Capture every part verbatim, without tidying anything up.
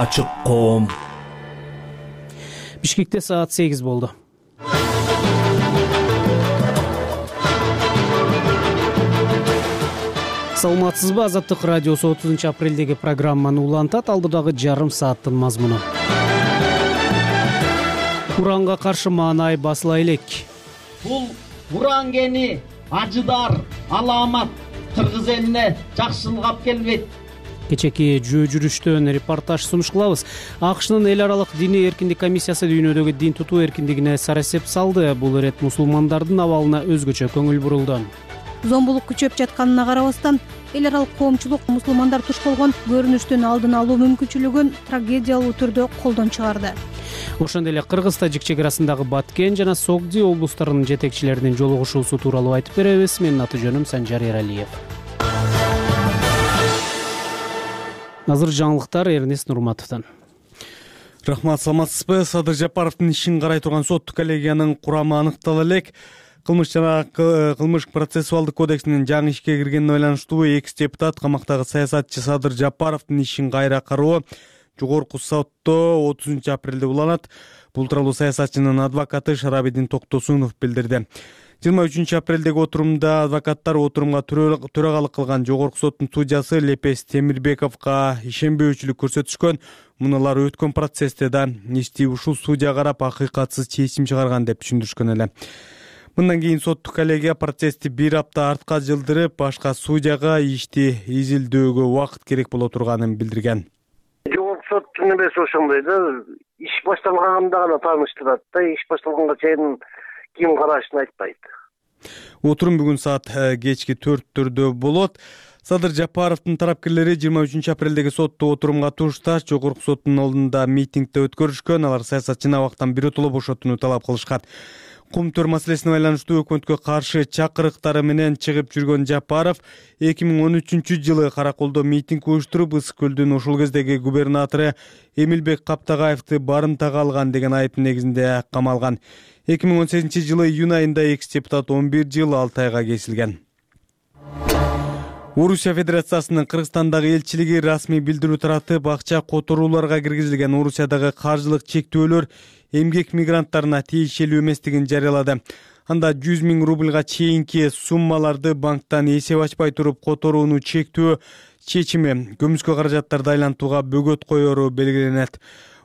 Ачык коом. Бишкекте саат сегиз болду. Саламатсызбы? Азаттык радиосу отузунчу апрелдеги программаны улантат. Алдыдагы жарым сааттын мазмуну. Уранга каршы маанай басыла элек. Бул уран кени ажыдар, аламат кыргыз элине жакшылык алып келбейт. Кечеки жөө жүрүштөн репортаж сунуш кылабыз. АКШнын эл аралык диний эркиндик комиссиясы дүйнөдөгү дин тутуу эркиндигине сарасеп салды. Бул ирет мусулмандардын абалына өзгөчө көңүл бурулду. Зомбулук күчөп жатканына карабастан, эл аралык коомчулук мусулмандар туш болгон көрүнүштүн алдын алуу мүмкүнчүлүгүн трагедиялуу түрдө колдон чыгарды. Ошондой эле Кыргыз тажик чек арасындагы Баткен жана Согди облустарынын жетекчилеринин жолугушуусу тууралуу айтып беребиз. Менин аты жөнүм Санжар Эралиев. Азыр жаңылыктар Эрнест Нурматовдон. Рахмат, саламатсызбы? Садыр Жапаровдун ишин карай турган соттук коллегиянын курамы аныктала элек. Кылмыш жана кылмыш процессуалдык кодексинин жаңы ишке киргенине байланыштуу экс депутат камактагы саясатчы Садыр Жапаровдун ишин кайра кароо жогорку сотто отузунчу апрелде уланат. Бул тууралуу саясатчынын адвокаты Шарабидин Токтосунов билдирди. жыйырма үчүнчү апрелдеги отурумда адвокаттар отурумга төрагалык кылган жогорку соттун судьясы Лепес Темирбековго ишенбөөчүлүк көрсөтүшкөн. Мунулар өткөн процессте да ишти ушул судья карап акыйкатсыз чечим чыгарган деп түшүндүрүшкөн эле. Мындан кийин соттук коллегия процессти бир апта артка жылдырып, башка судьяга ишти изилдөөгө убакыт керек боло турганын билдирген. Жогорку соттун небеси ошондой да, иш башталганда гана тааныштырат да, иш башталганга чейин ким карашын айтпайт. Отурум бүгүн саат кечки төрттөрдө болот. Садыр Жапаровдун тарапкерлери жыйырма үчүнчү апрелдеги сотту отурумга турушташ жогорку соттун алдында митингде өткөрүшкөн. Алар саясатчыны абактан биротоло бошотууну талап кылышкан. Кум төр маселесине байланыштуу өкмөткө каршы чакырыктары менен чыгып жүргөн Жапаров эки миң он үчүнчү жылы Караколдо митинг уюштуруп, Ысык көлдүн ошол кездеги губернатору Эмилбек Каптагаевди барымтага алган деген айып негизинде камалган. эки миң он сегизинчи жылы июнь айында экс депутат он бир жыл алты айга кесилген. Орусия Федерациясынын Кыргызстандагы элчилиги расмий билдирүү таратып, акча которууларга киргизилген Орусиядагы каржылык чектөөлөр эмгек мигранттарына тиешелүү эместигин жарыялады. Анда жүз миң рубльга чейинки суммаларды банктан эсеп ачпай туруп которууну чектөө чечими көмүскө каражаттарды айлантууга бөгөт коеру белгиленет.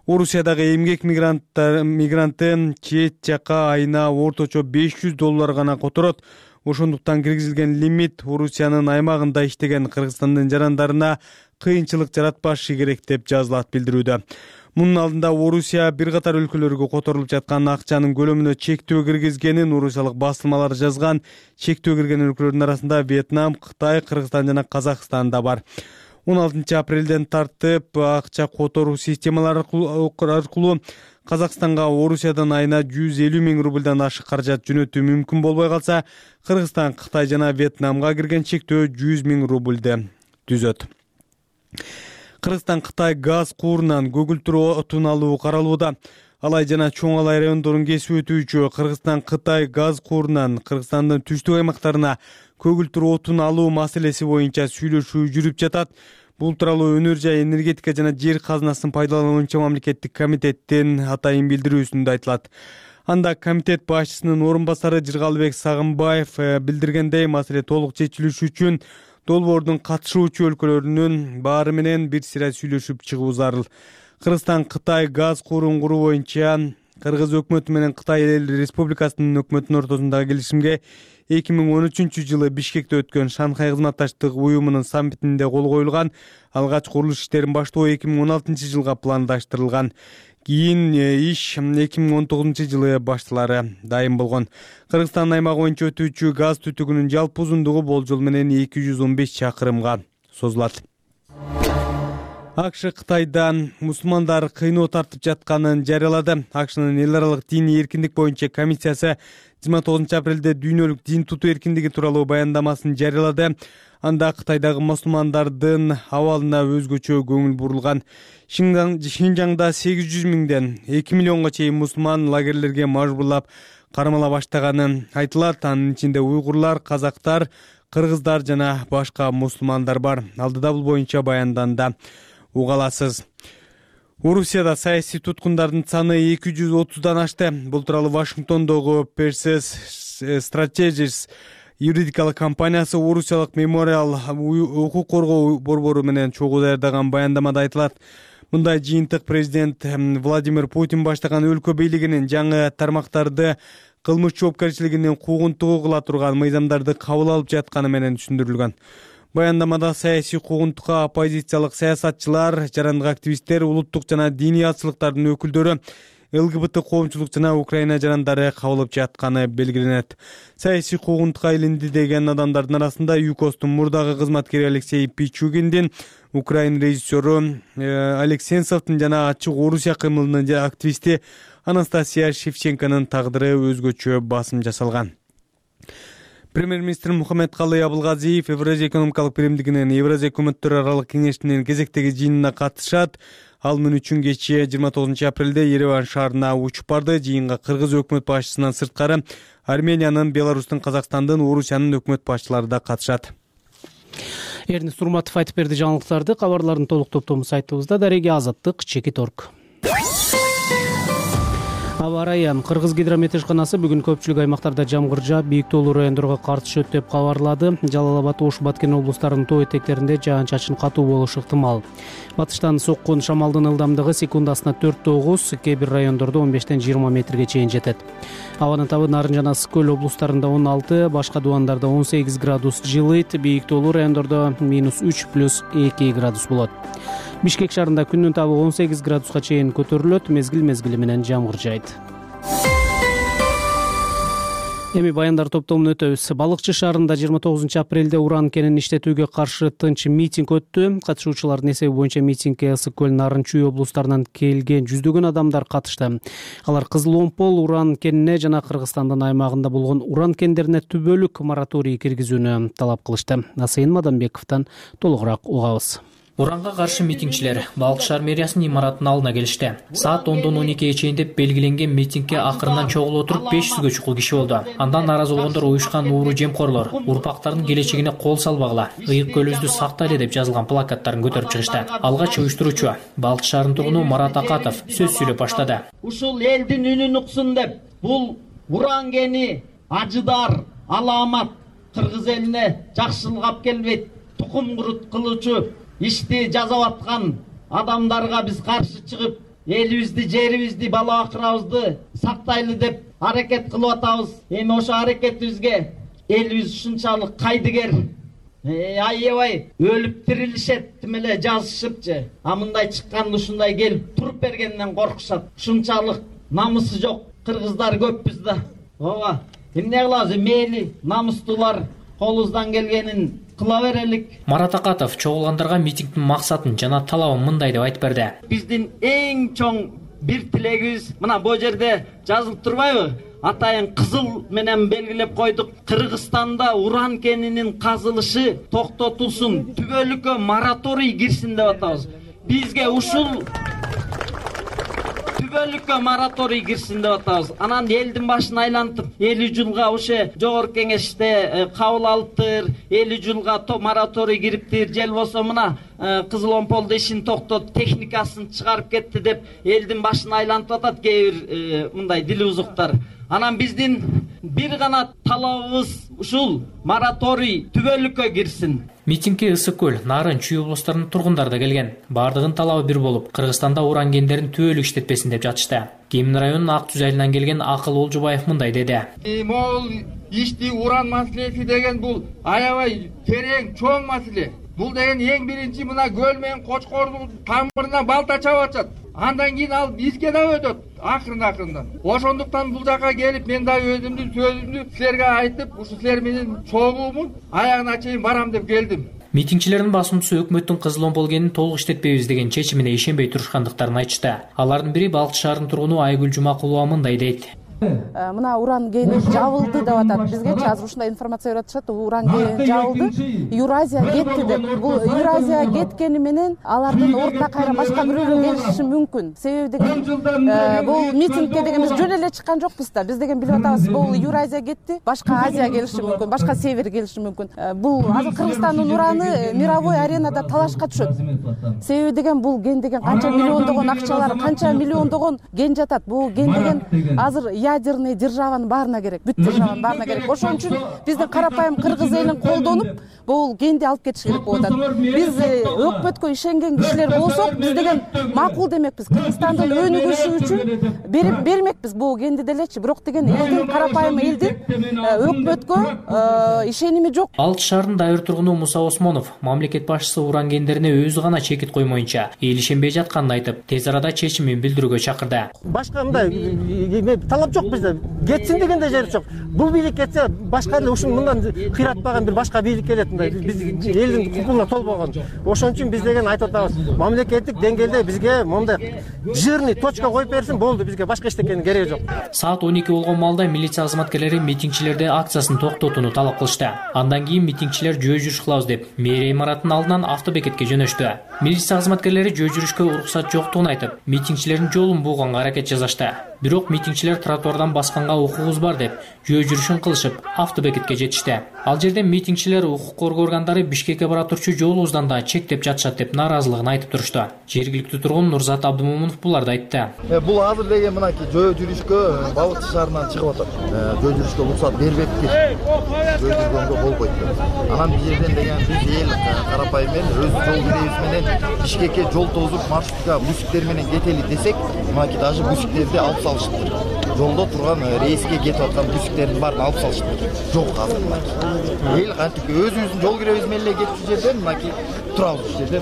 Орусиядагы эмгек мигранттар мигранты чет жака айына орточо беш жүз доллар гана которот. Ошондуктан киргизилген лимит Орусиянын аймагында иштеген Кыргызстандын жарандарына кыйынчылык жаратпашы керек деп жазылат билдирүүдө. Мунун алдында Орусия бир катар өлкөлөргө которулуп жаткан акчанын көлөмүнө чектөө киргизгенин орусиялык басылмалар жазган. Чектөө кирген өлкөлөрдүн арасында Вьетнам, Кытай, Кыргызстан жана Казакстан да бар. он алтынчы апрелден тартып акча которуу системалары аркылуу Казакстанга Орусиядан айына жүз элүү миң рубльдан ашык каражат жөнөтүү мүмкүн болбой калса, Кыргызстан, Кытай жана Вьетнамга кирген чектөө жүз миң рубльды түзөт. Кыргызстан Кытай газ куурунан көгүлтүр отун алуу каралууда. Алай жана Чоң Алай райондорун кесип өтүүчү Кыргызстан Кытай газ куурунан Кыргызстандын түштүк аймактарына көгүлтүр отун алуу маселеси боюнча сүйлөшүү жүрүп жатат. Бул тууралуу Өнөр жай энергетика жана жер казынасын пайдалануу боюнча мамлекеттик комитеттин атайын билдирүүсүндө айтылат. Анда комитет башчысынын орун басары Жыргалбек Сагынбаев билдиргендей, маселе толук чечилиш үчүн долбоордун катышуучу өлкөлөрүнүн баары менен бир сыйра сүйлөшүп чыгуу зарыл. Кыргызстан Кытай газ куурун куруу боюнча Кыргыз өкмөтү менен Кытай Эл Республикасынын өкмөтүнүн ортосундагы келишимге эки миң он үчүнчү жылы Бишкекте өткөн Шанхай кызматташтык уюмунун саммитинде кол коюлган. Алгач курулуш иштерин баштоо эки миң он алтынчы жылга пландаштырылган. Кийин иш эки миң он тогузунчу жылы башталары дайым болгон. Кыргызстан аймагы боюнча өтүүчү газ түтүгүнүн жалпы узундугу болжол менен эки жүз он беш чакырымга созулат. АКШ Кытайдан мусулмандар кыйноо тартып жатканын жарыялады. АКШнын эл аралык диний эркиндик боюнча комиссиясы жыйырма тогузунчу апрелде дүйнөлүк дин тутуу эркиндиги тууралуу баяндамасын жарыялады. Анда Кытайдагы мусулмандардын абалына өзгөчө көңүл бурулган. Шинжаңда сегиз жүз миңден эки миллионго чейин мусулман лагерлерге мажбурлап кармала баштаганы айтылат. Анын ичинде уйгурлар, казактар, кыргыздар жана башка мусулмандар бар. Алдыда бул боюнча баянданда уга аласыз. Орусияда саясий туткундардын саны эки жүз отуздан ашты. Бул тууралуу Вашингтондогу Perseus Strategies юридикалык компаниясы Орусиялык мемориал укук коргоо борбору менен чогуу даярдаган баяндамада айтылат. Мындай жыйынтык президент Владимир Путин баштаган өлкө бийлигинин жаңы тармактарды кылмыш жоопкерчилигинин куугунтугу кыла турган мыйзамдарды кабыл алып жатканы менен түшүндүрүлгөн. Баяндамада саясий куугунтукка оппозициялык саясатчылар, жарандык активисттер, улуттук жана диний атчылыктардын өкүлдөрү, ЛГБТ коомчулук жана Украина жарандары кабылып жатканы белгиленет. Саясий куугунтукка илинди деген адамдардын арасында ЮКОСтун мурдагы кызматкери Алексей Пичугиндин, Украин режиссеру Олег Сенцовдун жана Ачык Орусия кымылынын активисти Анастасия Шевченконун тагдыры өзгөчө басым жасалган. Премьер-министр Мухаммедкалый Абылгазиев Евразия экономикалык биримдигинин Евразия өкмөттөр аралык кеңешинин кезектеги жыйынына катышат. Ал мөн үчүн кечээ жыйырма тогузунчу апрелде Ереван шаарына учуп барды. Жыйынга Кыргыз өкмөт башчысынан сырткары Армениянын, Беларустун, Казакстандын, Орусиянын өкмөт башчылары да катышат. Эрнис Урматов айтып берди жаңылыктарды. Кабарлардын толук топтому сайтыбызда. Дареги Азаттык, Чекит точка орг. Аба ырайы. Кыргыз гидрометежканасы бүгүн көпчүлүк аймактарда жамгыр жаап, бийик тоолуу райондорго кар түшөт деп кабарлады. Жалал Абад, Ош, Баткен облустарынын тоо этектеринде жаан-чачын катуу болушу ыктымал. Батыштан соккон шамалдын ылдамдыгы секундасына төрт тогуз, кээ бир райондордо он бештен жыйырма метрге чейин жетет. Абанын табы Нарын жана Ысык көл облустарында он алты, башка дубандарда он сегиз градус жылыйт, бийик тоолуу райондордо минус үч плюс эки градус болот. Бишкек шаарында күндүн табы он сегиз градуска чейин көтөрүлөт, мезгил мезгили менен жамгыр жайт. Эми баяндар топтомун өтөбүз. Балыкчы шаарында жыйырма тогузунчу апрелде уран кенин иштетүүгө каршы тынч митинг өттү. Катышуучулардын эсеби боюнча митингге Ысык көл, Нарын, Чүй облустарынан келген жүздөгөн адамдар катышты. Алар Кызыл Омпол уран кенине жана Кыргызстандын аймагында болгон уран кендерине түбөлүк мораторий киргизүүнү талап кылышты. Асайын Мадамбековдон толугураак угабыз. Уранга каршы митингчилер Балыкчы шаар мэриясынын имаратынын алдына келишти. Саат ондон он экиге чейин деп белгиленген митингге акырынан чогулуп отуруп беш жүзгө чукул киши болду. Андан нааразы болгондор уюшкан ууру жемкорлор, урпактардын келечегине кол салбагыла, ыйык көлүбүздү сактайлы деп жазылган плакаттарын көтөрүп чыгышты. Алгач уюштуруучу Балыкчы шаарынын тургуну Марат Акатов сөз сүйлөп баштады. Ушул элдин үнүн уксун деп, бул уран кени Ажыдар, Аламат Кыргыз элине жакшылык алып келбейт, тукум курут кылуучу ишти жасап аткан адамдарга биз каршы чыгып, элибизди, жерибизди, бала бакырабызды сактайлы деп аракет кылып атабыз. Эми ошо аракетибизге элибиз ушунчалык кайдыгер, аябай өлүп тирилишет тим эле жазышыпчы. А мындай чыкканда ушундай келип туруп бергенден коркушат. Ушунчалык намысы жок кыргыздар көппүз да. Ооба, эмне кылабыз? Мейли намустуулар колубуздан келгенин кыла берелик. Марат Акатов чогулгандарга митингдин максатын жана талабын мындай деп айтып берди. Биздин эң чоң бир тилегибиз мына бу жерде жазылып турбайбы? Атайын кызыл менен белгилеп койдук. Кыргызстанда уран кенинин казылышы токтотулсун, түбөлүккө мораторий кирсин деп атабыз. Бизге ушул түбөлүккө мораторий кирсин деп атабыз. Анан элдин башын айлантып, элүү жылга ошо жогорку кеңеште кабыл алыптыр, элүү жылга мораторий кириптир, жел болсо мына Кызыл Омполдо ишин токтотуп, техникасын чыгарып кетти деп элдин башын айлантып атат кээ бир мындай дил узуктар. Анан биздин бир гана талабыбыз ушул мораторий түбөлүккө кирсин. Митингге Ысык көл, Нарын, Чүй облустарынын тургундары да келген. Бардыгын талабы бир болуп, Кыргызстанда уран кендерин түбөлүк иштетпесин деп жатышты. Кемин районунун Ак Түз айылынан келген Акыл Олжубаев мындай деди. Могул ишти уран маселеси деген бул аябай терең, чоң маселе. Бул деген эң биринчи мына көл менен Кочкордун тамырына балта чабып атат. Андан кийин ал бизге да өтөт акырын-акырындан. Ошондуктан бул жака келип мен да өзүмдүн сөзүмдү силерге айтып, ушу силер менен чогуумун аягына чейин барам деп келдим. Митингчилердин басымчысы өкмөттүн Кызыл Омпол кенин толук иштетпейбиз деген чечимине ишенбей турушкандыктарын айтышты. Алардын бири Балыкчы шаарынын тургуну Айгүл Жумакулова мындай дейт. мына уран кени жабылды деп атат. Бизгечи азыр ушундай информация берип атышат, уран кени жабылды, Евразия кетти деп. Бул Евразия кеткени менен алардын ордуна кайра башка бирөөлөр келиши мүмкүн. Себеби деген бул митингке деген биз жөн эле чыккан жокпуз да. Биз деген билип атабыз, бул Евразия кетти, башка Азия келиши мүмкүн, башка север келиши мүмкүн. Бул азыр Кыргызстандын ураны мировой аренада талашка түшөт. Себеби деген бул ген деген канча миллиондогон акчалар, канча миллиондогон ген жатат. Бул ген деген азыр ядерный державанын баарына керек, бүт державанын баарына керек. Ошон үчүн биздин карапайым кыргыз элин колдонуп бул генди алып кетиш керек болуп атат. Биз өкмөткө ишенген кишилер болсок, биз деген макул демекпиз. Кыргызстандын өнүгүшү үчүн берип бермекпиз бул генди делечи. Бирок деген элдин карапайым элдин өкмөткө ишеними жок. Алты шаардын дайыр тургуну Муса Осмонов мамлекет башчысы уран гендерине өзү гана чекит коймоюнча эл ишенбей жатканын айтып, тез арада чечимин билдирүүгө чакырды. Башка мындай талап жок бизде. Кетсин дегенде жери жок. Бул бийлик кетсе, башка ушун мындан кыйратпаган бир башка бийлик келет. Биз элдин кукуна толбогон. Ошон үчүн биз деген айтып атабыз. Мамлекеттик деңгээлде бизге мондай жирный точка коюп берсин, болду, бизге башка эчтекенин кереги жок. Саат он эки болгон маалда милиция кызматкерлери митингчилерди акциясын токтотууну талап кылышты. Андан кийин митингчилер жөө жүрүш кылабыз деп мэрия имаратынын алдынан автобекетке жөнөштү. Милиция кызматкерлери жөө жүрүшкө уруксат жоктугун айтып, митингчилердин жолун бууганга аракет жасашты. Бирок митингчилер тротуардан басканга укугубуз бар деп жөө жүрүшүн кылышып, автобекетке жетишти. Ал жерде митингчилер укук коргоо органдары Бишкекке бара турчу жолубуздан да чектеп жатышат деп нааразылыгын айтып турушту. Жергиликтүү тургун Нурзат Абдымомунов буларды айтты. Бул азыр деген мынакей жөө жүрүшкө Балыкчы шаарынан чыгып атат. Жөө жүрүшкө уруксат бербепти. Жөө жүргөнгө болбойт. Анан бул жерден деген биз эл карапайым эл өз жол киребиз менен Бишкекке жол тозуп маршрутка бусиктер менен кетели десек, мынакей даже бусиктерди алып салышыптыр. Жолдо турган рейске кетип аткан бусиктердин баарын алып салышыптыр. Жок азыр мынакей. Эл кантип өзүбүздүн жол киребиз менен эле кетип жерден мынакей турабыз ушул жерде.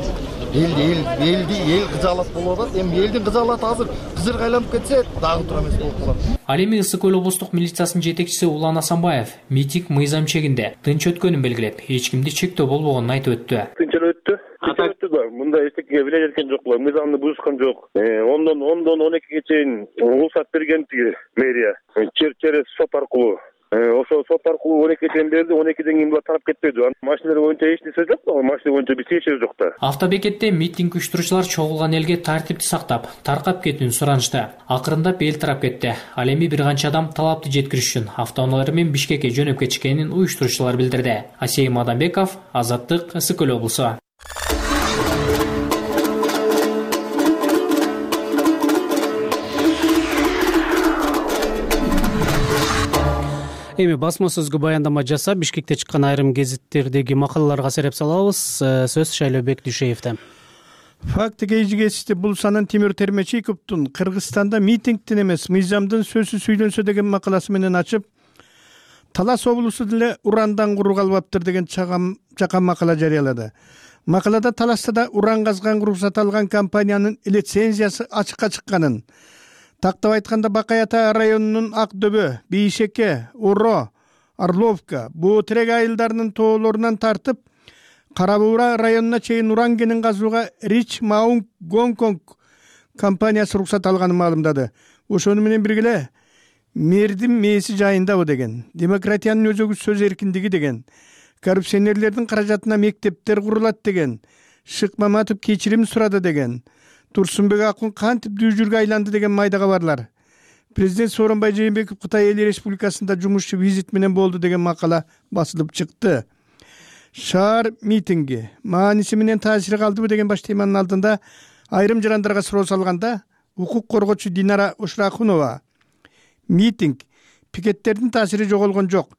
Эл эл элди эл кызаалат болуп атат. Эми элдин кызаалаты азыр кызырга айланып кетсе, дагы тура эмес болуп калат. Ал эми Ысык көл облустук милициясынын жетекчиси Улан Асанбаев митинг мыйзам чегинде тынч өткөнүн белгилеп, эч кимди чектөө болбогонун айтып өттү. Тынч өттү. Ататтыр да, мында эчтеке биле жаткан жокпуз, мыйзамды бузушкан жок. Ондон ондон он экиге чейин уруксат берген тиги мэрия. Через сот аркылуу. Ошо сот аркылуу он экиге чейин берди, он экиден кийин булар тарап кетпеди. Машиналар боюнча эч нерсе жок, машина боюнча биз тиешебиз жок да. Автобекетте митинг уюштуруучулар чогулган элге тартипти сактап, таркап кетүүнү суранышты. Акырындап эл тарап кетти. Ал эми бир канча адам талапты жеткириш үчүн автоунаалар менен Бишкекке жөнөп кетишкенин уюштуруучулар билдирди. Асейим Адамбеков, Азаттык, Ысык көл облусу. Эми басма сөзгө баяндама жасап, Бишкекте чыккан айрым гезиттердеги макалаларга сереп салабыз. Сөз Шайлообек Дүйшеевде. Факты кечигесте бул санын Тимур Термечиковдун Кыргызстанда митингдин эмес, мыйзамдын сөзсүз сүйлөнсө деген макаласы менен ачып, Талас облусу деле урандан куру калбаптыр деген чакан макала жарыялады. Макалада Таласта да уран казганга уруксат алган компаниянын лицензиясы ачыкка чыкканын, тактап айтканда Бакай Ата районунун Ак Дөбө, Бийшеке, Уро, Орловка, Буу Терек айылдарынын тоолорунан тартып, Кара Буура районуна чейин уран кенин казууга Рич Маунг Гонконг компаниясы уруксат алганын маалымдады. Ошону менен бирге мэрдин мээси жайындабы деген, демократиянын өзөгү сөз эркиндиги деген, коррупционерлердин каражатына мектептер курулат деген, Шык Маматов кечирим сурады деген, Турсунбек Акун кантип дүүжүргө айланды деген майда кабарлар. Президент Сооронбай Жээнбеков Кытай Эл Республикасында жумушчу визит менен болду деген макала басылып чыкты. Шаар митинги мааниси менен таасири калдыбы деген баш теманын алдында айрым жарандарга суроо салганда укук коргоочу Динара Ушрахунова митинг пикеттердин таасири жоголгон жок.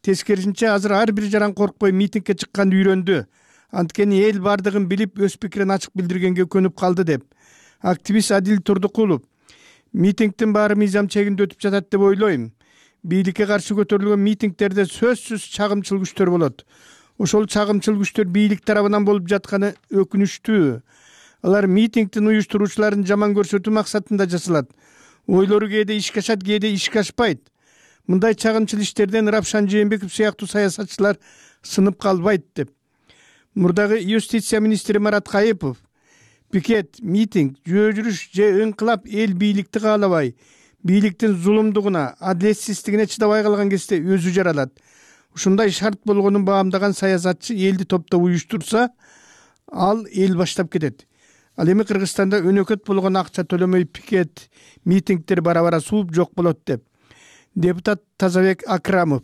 Тескерисинче азыр ар бир жаран коркпой митингге чыкканды үйрөндү. Анткени эл бардыгын билип өз пикирин ачык билдиргенге көнүп калды деп. Активист Адил Турдукулов митингдин баары мыйзам чегинде өтүп жатат деп ойлойм. Бийликке каршы көтөрүлгөн митингдерде сөзсүз чагымчыл күчтөр болот. Ошол чагымчыл күчтөр бийлик тарабынан болуп жатканы өкүнүчтүү. Алар митингдин уюштуруучуларын жаман көрсөтүү максатында жасалат. Ойлору кээде ишке ашат, кээде ишке ашпайт. Мындай чагымчыл иштерден Рапшан Жээнбеков сыяктуу саясатчылар сынып калбайт деп. Мурдагы юстиция министри Марат Кайыпов пикет, митинг, жөө жүрүш же ыңкылап эл бийликти каалабай, бийликтин зулумдугуна, адилетсиздигине чыдабай калган кезде өзү жаралат. Ушундай шарт болгонун баамдаган саясатчы элди топтоп уюштурса, ал эл баштап кетет. Ал эми Кыргызстанда өнөкөт болгон акча төлөмөй пикет, митингдер бара-бара сууп жок болот деп. Депутат Тазабек Акрамов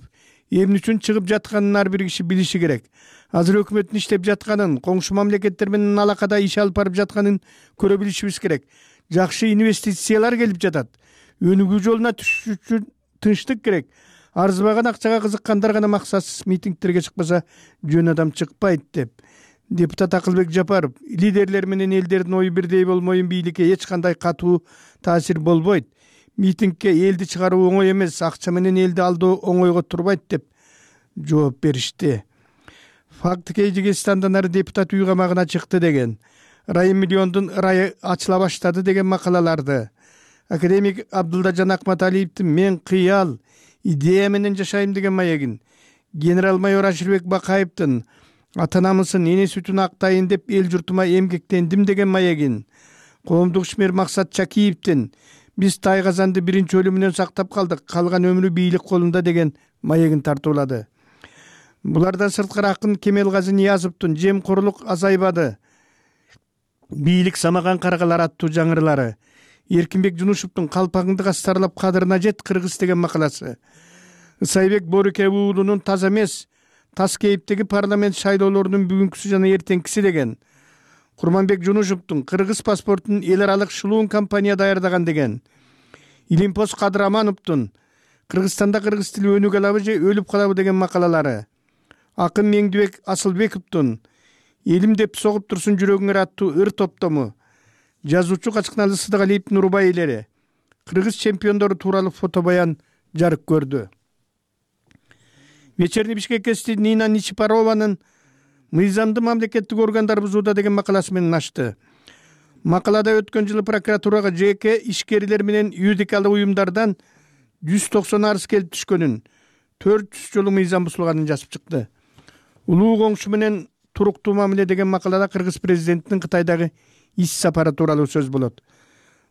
эмне үчүн чыгып жатканын ар бир киши билиши керек. Азыр өкмөттүн иштеп жатканын, коңшу мамлекеттер менен алакада иш алып барып жатканын көрө билишибиз керек. Жакшы инвестициялар келип жатат. Өнүгүү жолуна түшүш үчүн тынчтык керек. Арзыбаган акчага кызыккандар гана максатсыз митингдерге чыкпаса, жөн адам чыкпайт деп. Депутат Акылбек Жапаров лидерлер менен элдердин ою бирдей болмоюн бийликке эч кандай катуу таасир болбойт. Митингге элди чыгаруу оңой эмес, акча менен элди алдоо оңойго турбайт деп жооп беришти. Факт Кыйгызстандан ары депутат үй камагына чыкты деген, Райым миллиондун ырайы ачыла баштады деген макалаларды, академик Абдулдажан Акматалиевдин мен кыял, идея менен жашайм деген маегин, генерал-майор Аширбек Бакаевдин ата-анамысын, эне сүтүн актайын деп эл журтума эмгектендим деген маегин, коомдук ишмер Максат Чакиевдин биз Тайгазанды биринчи өлүмүнөн сактап калдык, калган өмүрү бийлик колунда деген маегин тартуулады. Булардан сырткары акын Кемелгази Ниязовдун жемкорлук азайбады, бийлик самаган каргалар аттуу жаңырылары, Эркинбек Жунушевдун калпагыңды кастарлап кадырына жет кыргыз деген макаласы, Ысайбек Борукев уулунун таза эмес, тас кейиптеги парламент шайлоолорунун бүгүнкүсү жана эртеңкиси деген, Курманбек Жунушевдун кыргыз паспортун эл аралык шылуун компания даярдаган деген, Илимпоз Кадырамановдун Кыргызстанда кыргыз тили өнүгө алабы же өлүп калабы деген макалалары, акын Меңдибек Асылбековдун элим деп согуп турсун жүрөгүңөр аттуу ыр топтому, жазуучу Качкыналы Сыдыгалиевдин урбайлери, кыргыз чемпиондору тууралуу фото баян жарык көрдү. Вечерний Бишкек гезити Нина Ничипарованын мыйзамды мамлекеттик органдар бузууда деген макаласы менен ачты. Макалада өткөн жылы прокуратурага жеке ишкерлер менен юридикалык уюмдардан жүз токсон арыз келип түшкөнүн, төрт жүз жолу мыйзам бузулганын жазып чыкты. Улуу коңшу менен туруктуу мамиле деген макалада кыргыз президентинин Кытайдагы иш сапары тууралуу сөз болот.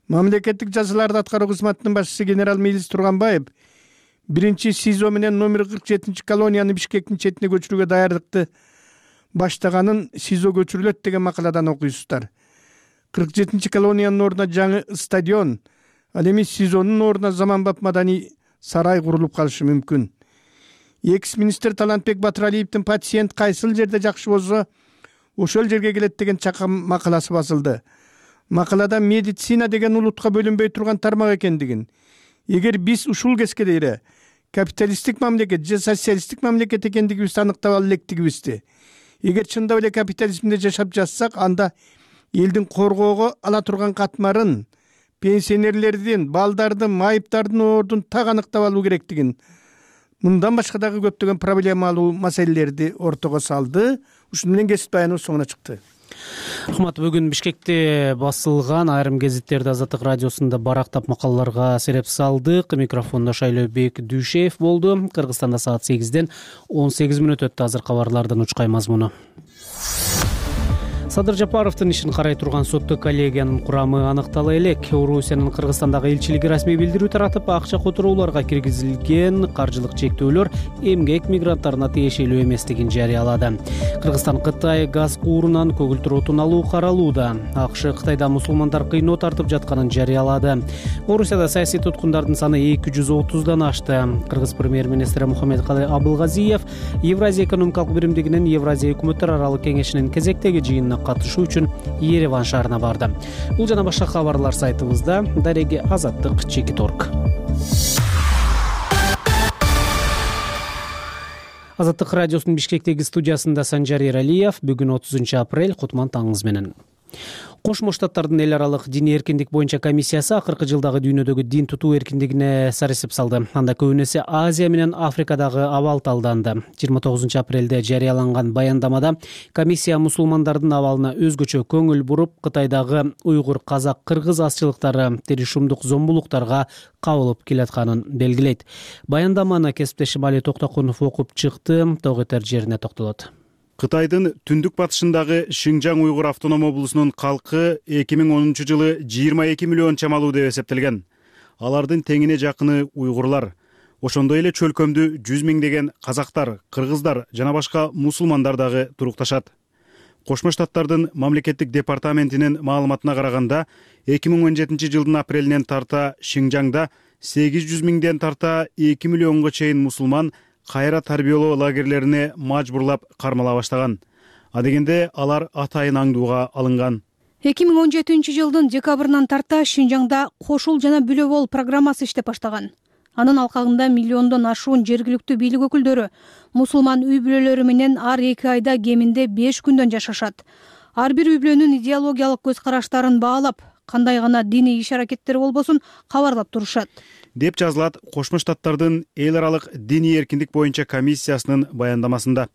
Мамлекеттик жазаларды аткаруу кызматынын башчысы генерал Милис Турганбаев биринчи СИЗО менен номер кырк жетинчи колонияны Бишкектин четине көчүрүүгө даярдыкты баштаганын СИЗО көчүрүлөт деген макаладан окуйсуздар. кырк жетинчи колониянын ордуна жаңы стадион, ал эми СИЗОнун ордуна заманбап маданий сарай курулуп калышы мүмкүн. Экс-министр Талантбек Батыралиевдин пациент кайсыл жерде жакшы болсо, ошол жерге келет деген чакам макаласы басылды. Макалада медицина деген улутка бөлүнбөй турган тармак экендигин, эгер биз ушул кескедейре капиталисттик мамлекет же социалисттик мамлекет экендигибизди аныктап ала электигибизди, эгер чындап эле капитализмде жашап жатсак, анда элдин коргоого ала турган катмарын, пенсионерлердин, балдардын, майыптардын ордун так аныктап алуу керектигин, мындан башка дагы көптөгөн проблемалуу маселелерди ортого салды. Ушуну менен кесип баяныбыз соңуна чыкты. Рахмат. Бүгүн Бишкекте басылган айрым гезиттерди Азаттык радиосунда барактап макалаларга сереп салдык. Микрофондо Шайлообек Дүйшеев болду. Кыргызстанда саат сегизден он сегиз мүнөт өттү. Азыр кабарлардын учкай мазмуну. Садыр Жапаровдун ишин карай турган соттук коллегиянын курамы аныктала элек. Орусиянын Кыргызстандагы элчилиги расмий билдирүү таратып, акча которууларга киргизилген каржылык чектөөлөр эмгек мигранттарына тиешелүү эместигин жарыялады. Кыргызстан Кытай газ куурунан көгүлтүр отун алуу каралууда. АКШ Кытайда мусулмандар кыйноо тартып жатканын жарыялады. Орусияда саясий туткундардын саны эки жүз отуздан ашты. Кыргыз премьер-министри Мухаммедкалый Абылгазиев Евразия экономикалык биримдигинин Евразия өкмөттөр аралык кеңешинин кезектеги жыйынына катышуу үчүн Ереван шаарына барды. Бул жана башка кабарлар сайтыбызда. Дареги Азаттык чекит точка орг. Азаттык радиосунун Бишкектеги студиясында Санжар Эралиев. Бүгүн отузунчу апрель. Кутман таңыңыз менен. Кошмо Штаттардын эл аралык диний эркиндик боюнча комиссиясы акыркы жылдагы дүйнөдөгү дин тутуу эркиндигине сарысып салды. Анда көбүнесе Азия менен Африкадагы абал талданды. жыйырма тогузунчу апрелде жарыяланган баяндамада комиссия мусулмандардын абалына өзгөчө көңүл буруп, Кытайдагы уйгур, казак, кыргыз азчылыктары теришумдук зомбулуктарга кабылып келатканын белгилейт. Баяндаманы кесиптешим Али Токтокунов окуп чыкты. Тогетер жерине токтолот. Кытайдын түндүк батышындагы Шинжаң уйгур автоном облусунун калкы эки миң онунчу жылы жыйырма эки миллион чамалуу деп эсептелген. алардын теңине жакыны уйгурлар, ошондой эле чөлкөмдү жүз миңдеген казактар, кыргыздар жана башка мусулмандар дагы турукташат. Кошмо Штаттардын мамлекеттик департаментинин маалыматына караганда, эки миң он жетинчи жылдын апрелинен тарта Шинжаңда сегиз жүз миңден тарта эки миллионго чейин мусулман кайра тарбиялоо лагерлерине мажбурлап кармала баштаган. Адегенде алар атайын аңдууга алынган. эки миң он жетинчи жылдын декабрынан тарта Шинжаңда кошул жана бүлө бол программасы иштеп баштаган. Анын алкагында миллиондон ашуун жергиликтүү бийлик өкүлдөрү мусулман үй бүлөлөрү менен ар эки айда кеминде беш күндөн жашашат. Ар бир үй бүлөнүн идеологиялык көз караштарын баалап, кандай гана диний иш-аракеттери болбосун кабарлап турушат, деп жазылат Кошмо Штаттардын эл аралык диний эркиндик боюнча комиссиясынын баяндамасында.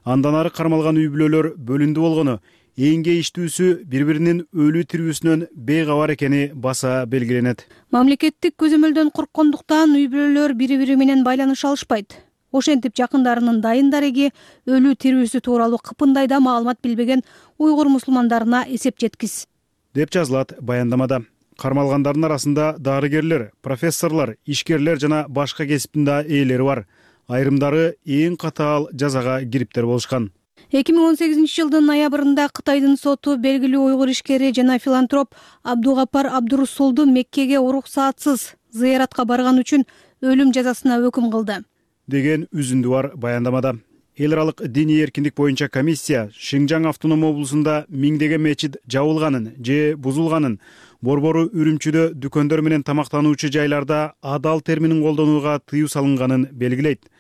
Андан ары кармалган үй бүлөлөр бөлүндү болгону, эң кейиштүүсү бири-биринин өлүү тирүүсүнөн бейкабар экени баса белгиленет. Мамлекеттик көзөмөлдөн корккондуктан үй бүлөлөр бири-бири менен байланыша алышпайт. Ошентип жакындарынын дайын дареги өлүү тирүүсү тууралуу кыпындай да маалымат билбеген уйгур мусулмандарына эсеп жеткис, деп жазылат баяндамада. Кармалгандардын арасында дарыгерлер, профессорлор, ишкерлер жана башка кесиптин да ээлери бар. Айрымдары эң катаал жазага кириптер болушкан. эки миң он сегизинчи жылдын ноябрында Кытайдын соту белгилүү уйгур ишкери жана филантроп Абдугапар Абдурусулду Меккеге уруксаатсыз зыяратка барган үчүн өлүм жазасына өкүм кылды, деген үзүндү бар баяндамада. Эл аралык диний эркиндик боюнча комиссия Шинжаң автоном облусунда миңдеген мечит жабылганын же бузулганын, борбору Үрүмчүдө дүкөндөр менен тамактануучу жайларда адал терминин колдонууга тыюу салынганын белгилейт.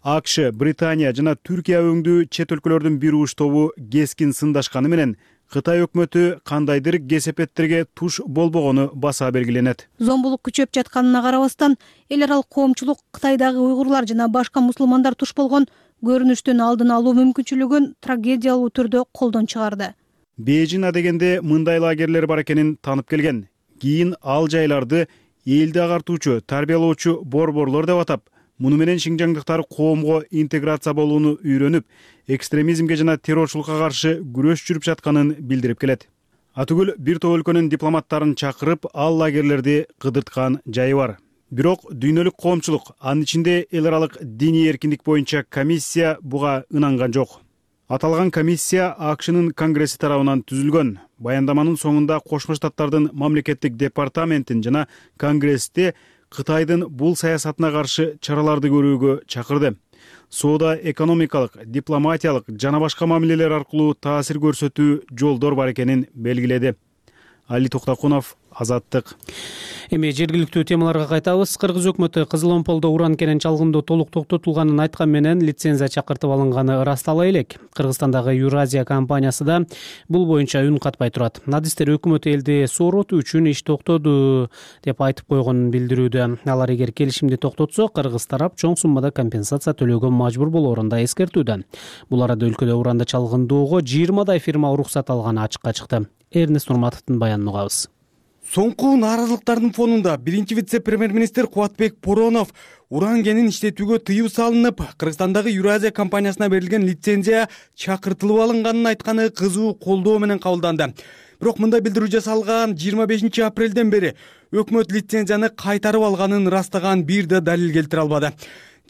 АКШ, Британия жана Түркия өңдүү чет өлкөлөрдүн бир уш тобу кескин сындашканы менен Кытай өкмөтү кандайдыр кесепеттерге туш болбогону баса белгиленет. Зомбулук күчөп жатканына карабастан, эл аралык коомчулук Кытайдагы уйгурлар жана башка мусулмандар туш болгон көрүнүштүн алдын алуу мүмкүнчүлүгүн трагедиялуу түрдө колдон чыгарды. Бейжин адегенде мындай лагерлер бар экенин танып келген. Кийин ал жайларды элди агартуучу, тарбиялоочу борборлор деп атап, муну менен шинжаңдыктар коомго интеграция болууну үйрөнүп, экстремизмге жана террорчулукка каршы күрөш жүрүп жатканын билдирип келет. Атүгүл бир топ өлкөнүн дипломаттарын чакырып, ал лагерлерди кыдырткан жайы бар. Бирок дүйнөлүк коомчулук, анын ичинде эл аралык диний эркиндик боюнча комиссия буга ынанган жок. Аталган комиссия АКШнын конгресси тарабынан түзүлгөн. Баяндаманын соңунда Кошмо Штаттардын мамлекеттик департаментин жана конгрессти Кытайдын бул саясатына каршы чараларды көрүүгө чакырды. Соода экономикалык, дипломатиялык жана башка мамилелер аркылуу таасир көрсөтүү жолдор бар экенин белгиледи. Али Токтакунов, Азаттык. Эми жергиликтүү темаларга кайтабыз. Кыргыз өкмөтү Кызыл Омполдо уран кенен чалгындоо толук токтотулганын айткан менен лицензия чакыртып алынганы ырастала элек. Кыргызстандагы Юразия компаниясы да бул боюнча үн катпай турат. Адистер өкмөт элди сооротуу үчүн иш токтоду деп айтып койгонун билдирүүдө. Алар эгер келишимди токтотсо, кыргыз тарап чоң суммада компенсация төлөөгө мажбур болоорун да эскертүүдө. Бул арада өлкөдө уранды чалгындоого жыйырмадай фирма уруксат алганы ачыкка чыкты. Эрнест Нурматовдун баянын угабыз. Соңку нааразылыктардын фонунда биринчи вице-премьер-министр Кубатбек Боронов уран кенин иштетүүгө тыюу салынып, Кыргызстандагы Юразия компаниясына берилген лицензия чакыртылып алынганын айтканы кызуу колдоо менен кабылданды. Бирок мындай билдирүү жасалган жыйырма бешинчи апрелден бери өкмөт лицензияны кайтарып алганын ырастаган бир да далил келтире албады.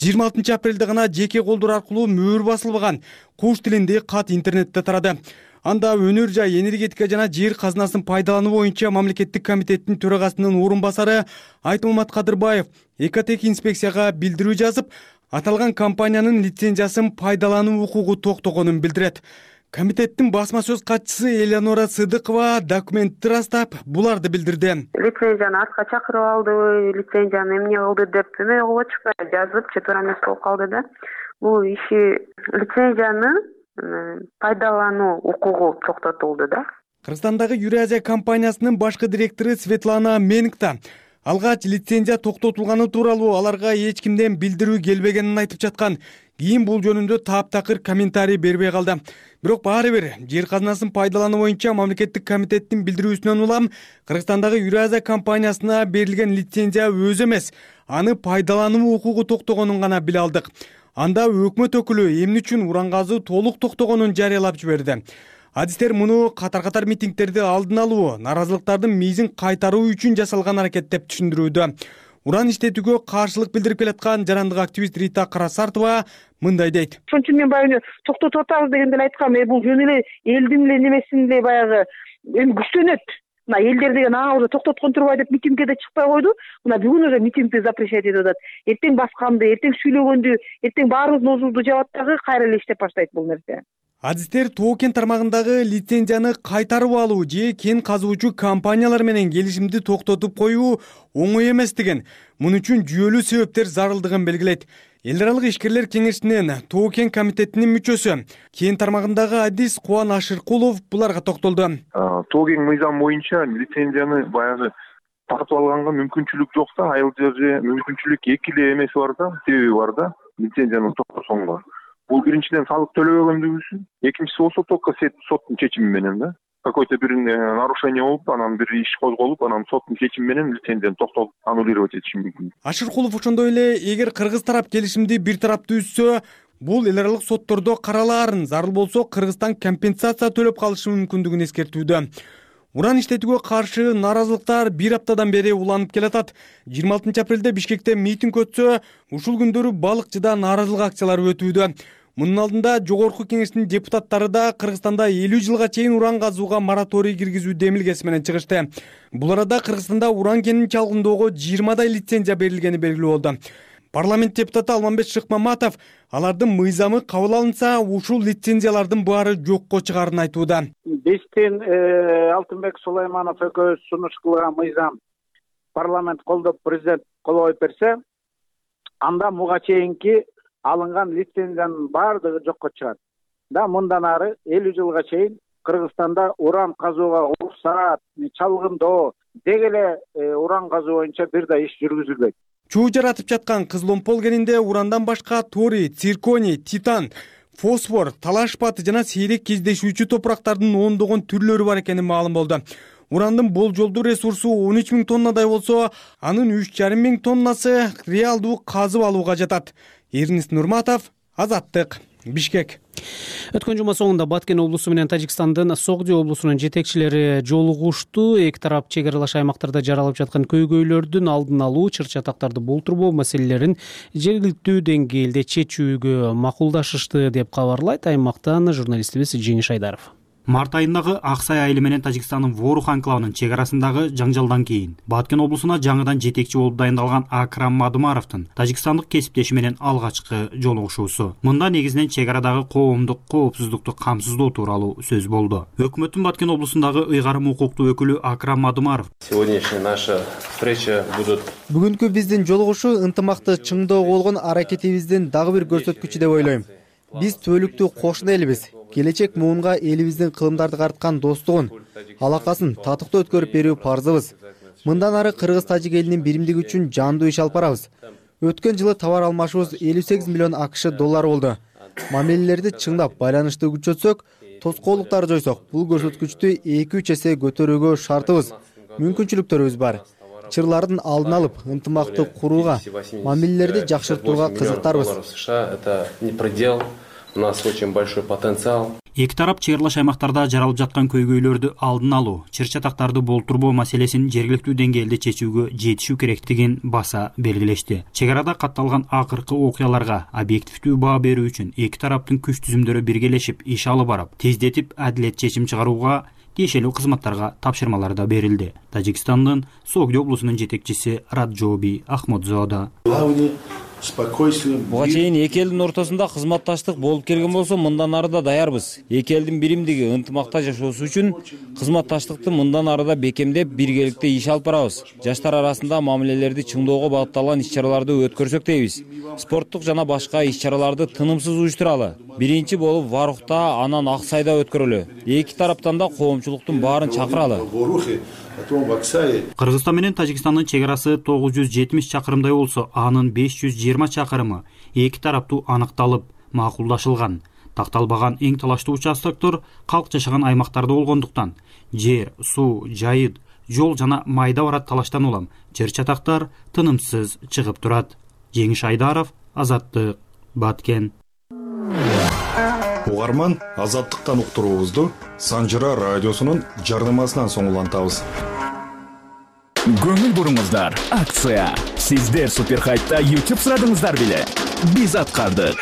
жыйырма алтынчы апрелде гана жеке колдор аркылуу мөөр басылбаган куш тилинде кат интернетте тарады. Анда өнөр жай, энергетика жана жер казынасын пайдалануу боюнча мамлекеттик комитеттин төрагасынын орун басары Айтмамат Кадырбаев Экотех инспекцияга билдирүү жазып, аталган компаниянын лицензиясын пайдалануу укугу токтогонун билдирет. Комитеттин басма сөз катчысы Элеонора Сыдыкова документти ырастап, буларды билдирди. Лицензияны артка чакырып алды, лицензияны эмне кылды деп эме болчу жазып, четверо эмес болуп калды да. Бул иши лицензияны пайдалануу укугу токтотулду да. Кыргызстандагы Юразия компаниясынын башкы директору Светлана Менгта алгач лицензия токтотулганы тууралуу аларга эч кимден билдирүү келбегенин айтып жаткан. Кийин бул жөнүндө таптакыр комментарий бербей калды. Бирок баары бир жер казынасын пайдалануу боюнча мамлекеттик комитеттин билдирүүсүнөн улам Кыргызстандагы Юразия компаниясына берилген лицензия өзү эмес, аны пайдалануу укугу токтогонун гана биле алдык. Анда өкмөт өкүлү эмне үчүн уран казуу толук токтогонун жарыялап жиберди. Адистер муну катар-катар митингдерди алдын алуу, наразылыктардын мейзин кайтаруу үчүн жасалган аракет деп түшүндүрүүдө. Уран иштетүүгө каршылык билдирип келаткан жарандык активист Рита Карасартова мындай дейт. Ошон үчүн мен баягы токтотуп атабыз дегенде эле айткам, э бул жөн эле элдин эле немесин эле баягы эми күчтөнөт. Мына элдер деген ага уже токтоткон турбай деп митингге да чыкпай койду. Мына бүгүн уже митингди запрещать этип атат. Эртең басканды, эртең сүйлөгөндү, эртең баарыбыздын оозубузду жабат дагы кайра эле иштеп баштайт бул нерсе. Адистер тоо кен тармагындагы лицензияны кайтарып алуу же кен казуучу компаниялар менен келишимди токтотуп коюу оңой эмес деген. Муну үчүн жүйөлүү себептер зарылдыгын белгилейт. Эл аралык ишкерлер кеңешинин тоо кен комитетинин мүчөсү, кен тармагындагы адис Кубан Ашыркулов буларга токтолду. Тоо кен мыйзам боюнча лицензияны баягы тартып алганга мүмкүнчүлүк жок да, айыл же мүмкүнчүлүк эки эле эмеси бар да, себеби бар да, лицензияны токтотсоңго. Бул биринчиден салык төлөбөгөндүгү үчүн, экинчиси болсо только соттун чечими менен да. Какой-то бир нарушение болуп, анан бир иш козголуп, анан соттун чечими менен лицензияны токтотуп аннулировать этиш мүмкүн. Ашыркулов ошондой эле эгер кыргыз тарап келишимди бир тараптуу үзсө, бул эл аралык соттордо каралаарын, зарыл болсо Кыргызстан компенсация төлөп калышы мүмкүндүгүн эскертүүдө. Уран иштетүүгө каршы наразылыктар бир аптадан бери уланып келатат. жыйырма алтынчы апрелде Бишкекте митинг өтсө, ушул күндөрү Балыкчыда нааразылык акциялары өтүүдө. Мунун алдында Жогорку Кеңештин депутаттары да Кыргызстанда элүү жылга чейин уран казууга мораторий киргизүү демилгеси менен чыгышты. Бул арада Кыргызстанда уран кенин чалгындоого жыйырмадай лицензия берилгени белгилүү болду. Парламент депутаты Алмамбет Шыкмаматов алардын мыйзамы кабыл алынса, ушул лицензиялардын баары жокко чыгаарын айтууда. Биздин Алтынбек Сулайманов экөөбүз сунуш кылган мыйзам парламент колдоп, президент кол коюп берсе, анда буга чейинки алынган лицензиянын баардыгы жокко чыгат. Да мындан ары элүү жылга чейин Кыргызстанда уран казууга уруксат, чалгындоо, деги эле уран казуу боюнча бир да иш жүргүзүлбөйт. Чуу жаратып жаткан Кызыломпол кенинде урандан башка торий, цирконий, титан, фосфор, талаш паты жана сейрек кездешүүчү топурактардын ондогон түрлөрү бар экени маалым болду. Урандын болжолдуу ресурсу он үч миң тоннадай болсо, анын үч жарым миң тоннасы реалдуу казып алууга жатат. Эрнис Нурматов, Азаттык, Бишкек. Өткөн жума соңунда Баткен облусу менен Тажикстандын Согди облусунун жетекчилери жолугушту. Эки тарап чек аралаш аймактарда жаралып жаткан көйгөйлөрдүн алдын алуу, чыр-чатактарды болтурбоо маселелерин жергиликтүү деңгээлде чечүүгө макулдашышты деп кабарлайт аймактан журналистибиз Жеңиш Айдаров. Март айындагы Аксай айылы менен Тажикстандын Ворух анклавынын чек арасындагы жаңжалдан кийин Баткен облусуна жаңыдан жетекчи болуп дайындалган Акрам Мадумаровдун тажикстандык кесиптеши менен алгачкы жолугушуусу. Мында негизинен чек арадагы коомдук коопсуздукту камсыздоо тууралуу сөз болду. Өкмөттүн Баткен облусундагы ыйгарым укуктуу өкүлү Акрам Мадумаров: Сегодняшняя наша встреча будут Бүгүнкү биздин жолугушуу ынтымакты чыңдоого болгон аракетибиздин дагы бир көрсөткүчү деп ойлойм. Биз түбөлүктүү кошуна элбиз. Келечек муунга элибиздин кылымдарды карткан достугун, алакасын татыктуу өткөрүп берүү парзыбыз. Мындан ары кыргыз-тажик элинин биримдиги үчүн жандуу иш алып барабыз. Өткөн жылы товар алмашуубуз элүү сегиз миллион АКШ доллары болду. Мамилелерди чыңдап, байланышты күчөтсөк, тоскоолдуктарды жойсок, бул көрсөткүчтү эки үч эсе көтөрүүгө шартыбыз. Мүмкүнчүлүктөрүбүз бар. Чырлардын алдын алып, ынтымакты курууга, мамилелерди жакшыртууга кызыктарбыз. У нас очень большой потенциал. Эки тарап чек аралаш аймактарда жаралып жаткан көйгөйлөрдү алдын алуу, чыр-чатактарды болтурбоо маселесин жергиликтүү деңгээлде чечүүгө жетишүү керектигин баса белгилешти. Чек арада катталган акыркы окуяларга объективдүү баа берүү үчүн эки тараптын күч түзүмдөрү биргелешип иш алып барып, тездетип адилет чечим чыгарууга тиешелүү кызматтарга тапшырмалар да берилди. Тажикстандын Согди облусунун жетекчиси Раджоби Ахмадзода: Буга чейин эки элдин ортосунда кызматташтык болуп келген болсо, мындан ары да даярбыз. Эки элдин биримдиги ынтымакта жашоосу үчүн кызматташтыкты мындан ары да бекемдеп, биргеликте иш алып барабыз. Жаштар арасында мамилелерди чыңдоого багытталган иш-чараларды өткөрсөк дейбиз. Спорттук жана башка иш-чараларды тынымсыз уюштуралы. Биринчи болуп Варухта, анан Аксайда өткөрөлү. Эки тараптан да коомчулуктун баарын чакыралы. Кыргызстан менен Тажикстандын чек арасы тогуз жүз жетимиш чакырымдай болсо, анын беш жүз жыйырма чакырымы эки тараптуу аныкталып, макулдашылган. Такталбаган эң талаштуу участоктор калк жашаган аймактарда болгондуктан жер, суу, жайыт, жол жана майда барат талаштан улам чыр-чатактар тынымсыз чыгып турат. Жеңиш Айдаров, Азаттык, Баткен. угарман Азаттыктан уктуруубузду Санжыра радиосунун жарнамасынан соң улантабыз. Көңүл буруңуздар, акция. Сиздер Супер Хайпта YouTube сурадыңыздар беле? Биз аткардык.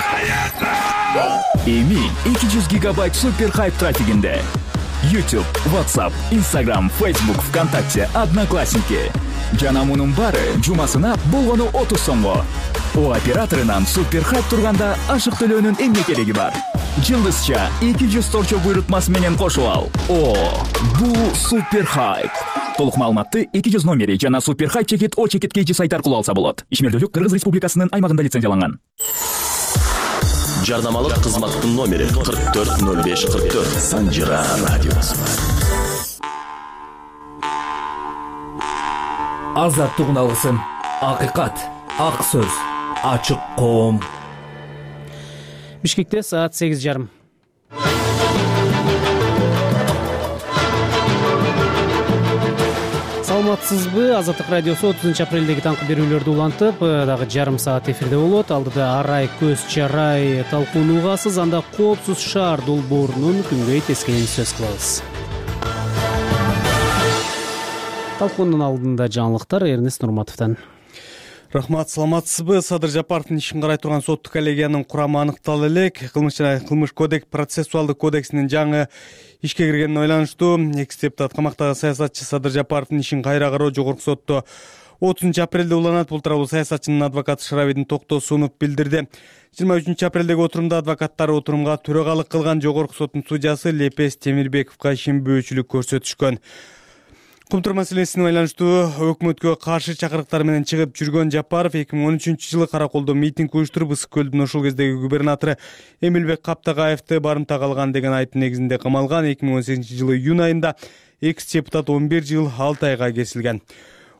Эми эки жүз гигабайт Супер Хайп трафигинде. YouTube, WhatsApp, Instagram, Facebook, ВКонтакте, Одноклассники. Жана мунун баары жумасына болгону отуз сомго. О операторунан Супер Хайп турганда ашык төлөөнүн эмне кереги бар? Жылдызча эки жүз торчо буйрутмасы менен кошуп ал. О, бул Супер Хайп. Толук маалыматты эки жүз номери жана Супер Хайп чекит О чекит кей джи сайттар аркылуу алса болот. Ишмердүүлүк Кыргыз Республикасынын аймагында лицензияланган. Жарнамалык кызматтын номери кырк төрт ноль беш кырк төрт. Санжыра радиосу. Азаттыгын алгысың. Акыйкат, ак сөз, ачык коом. Бишкекте саат сегиз жарым. Саламатсызбы? Азаттык радиосу отузунчу апрелдеги таңкы берүүлөрдү улантып, дагы жарым саат эфирде болот. Алдыда арай көз чарай талкууну угасыз, анда коопсуз шаар долбоорунун күнгөй тескенин сөз кылабыз. Талкуунун алдында жаңылыктар Эрнест Нурматовдон. Рахмат, саламатсызбы? Садыр Жапаровдун ишин карай турган соттук коллегиянын курамы аныкталды элек. Кылмыш жана кылмыш кодекс процессуалдык кодексинин жаңы ишке киргенине байланыштуу экс депутат камактагы саясатчы Садыр Жапаровдун ишин кайра кароо жогорку сотто отузунчу апрелде уланат. Бул тууралуу саясатчынын адвокаты Шырабидин Токтосунов билдирди. жыйырма үчүнчү апрелдеги отурумда адвокаттар отурумга төрагалык кылган жогорку соттун судьясы Лепес Темирбековго ишенбөөчүлүк көрсөтүшкөн. Кумтур маселесине байланыштуу өкмөткө каршы чакырыктар менен чыгып жүргөн Жапаров эки миң он үчүнчү жылы Караколдо митинг уюштуруп, Ысык көлдүн ошол кездеги губернатору Эмилбек Каптагаевди барымтага алган деген айыптын негизинде камалган. эки миң он сегизинчи жылы июнь айында экс депутат он бир жыл алты айга кесилген.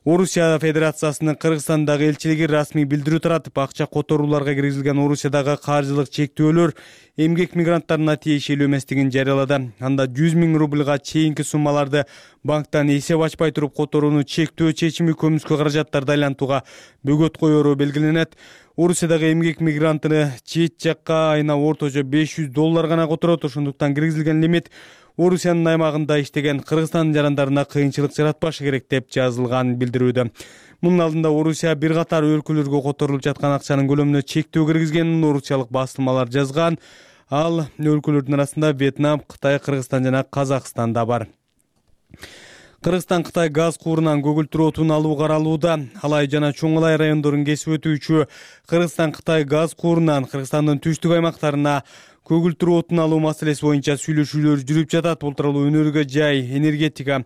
Орусия Федерациясынын Кыргызстандагы элчилиги расмий билдирүү таратып, акча которууларга киргизилген Орусиядагы каржылык чектөөлөр эмгек мигранттарына тиешелүү эместигин жарыялады. Анда жүз миң рубльга чейинки суммаларды банктан эсеп ачпай туруп которууну чектөө чечими көмүскө каражаттарды айлантууга бөгөт коеру белгиленет. Орусиядагы эмгек мигрантыны чет жакка айына орточо беш жүз доллар гана которот. Ошондуктан киргизилген лимит Орусиянын аймагында иштеген Кыргызстан жарандарына кыйынчылык жаратпашы керек деп жазылган билдирүүдө. Мунун алдында Орусия бир катар өлкөлөргө которулуп жаткан акчанын көлөмүнө чектөө киргизгенин орусиялык басылмалар жазган. Ал өлкөлөрдүн арасында Вьетнам, Кытай, Кыргызстан жана Казакстан да бар. Кыргызстан Кытай газ куурунан көгүлтүр отун алуу каралууда. Алай жана Чоң Алай райондорун кесип өтүүчү Кыргызстан Кытай газ куурунан Кыргызстандын түштүк аймактарына көгүлтүр отун алуу маселеси боюнча сүйлөшүүлөр жүрүп жатат. Бул тууралуу Өнөргө жай, энергетика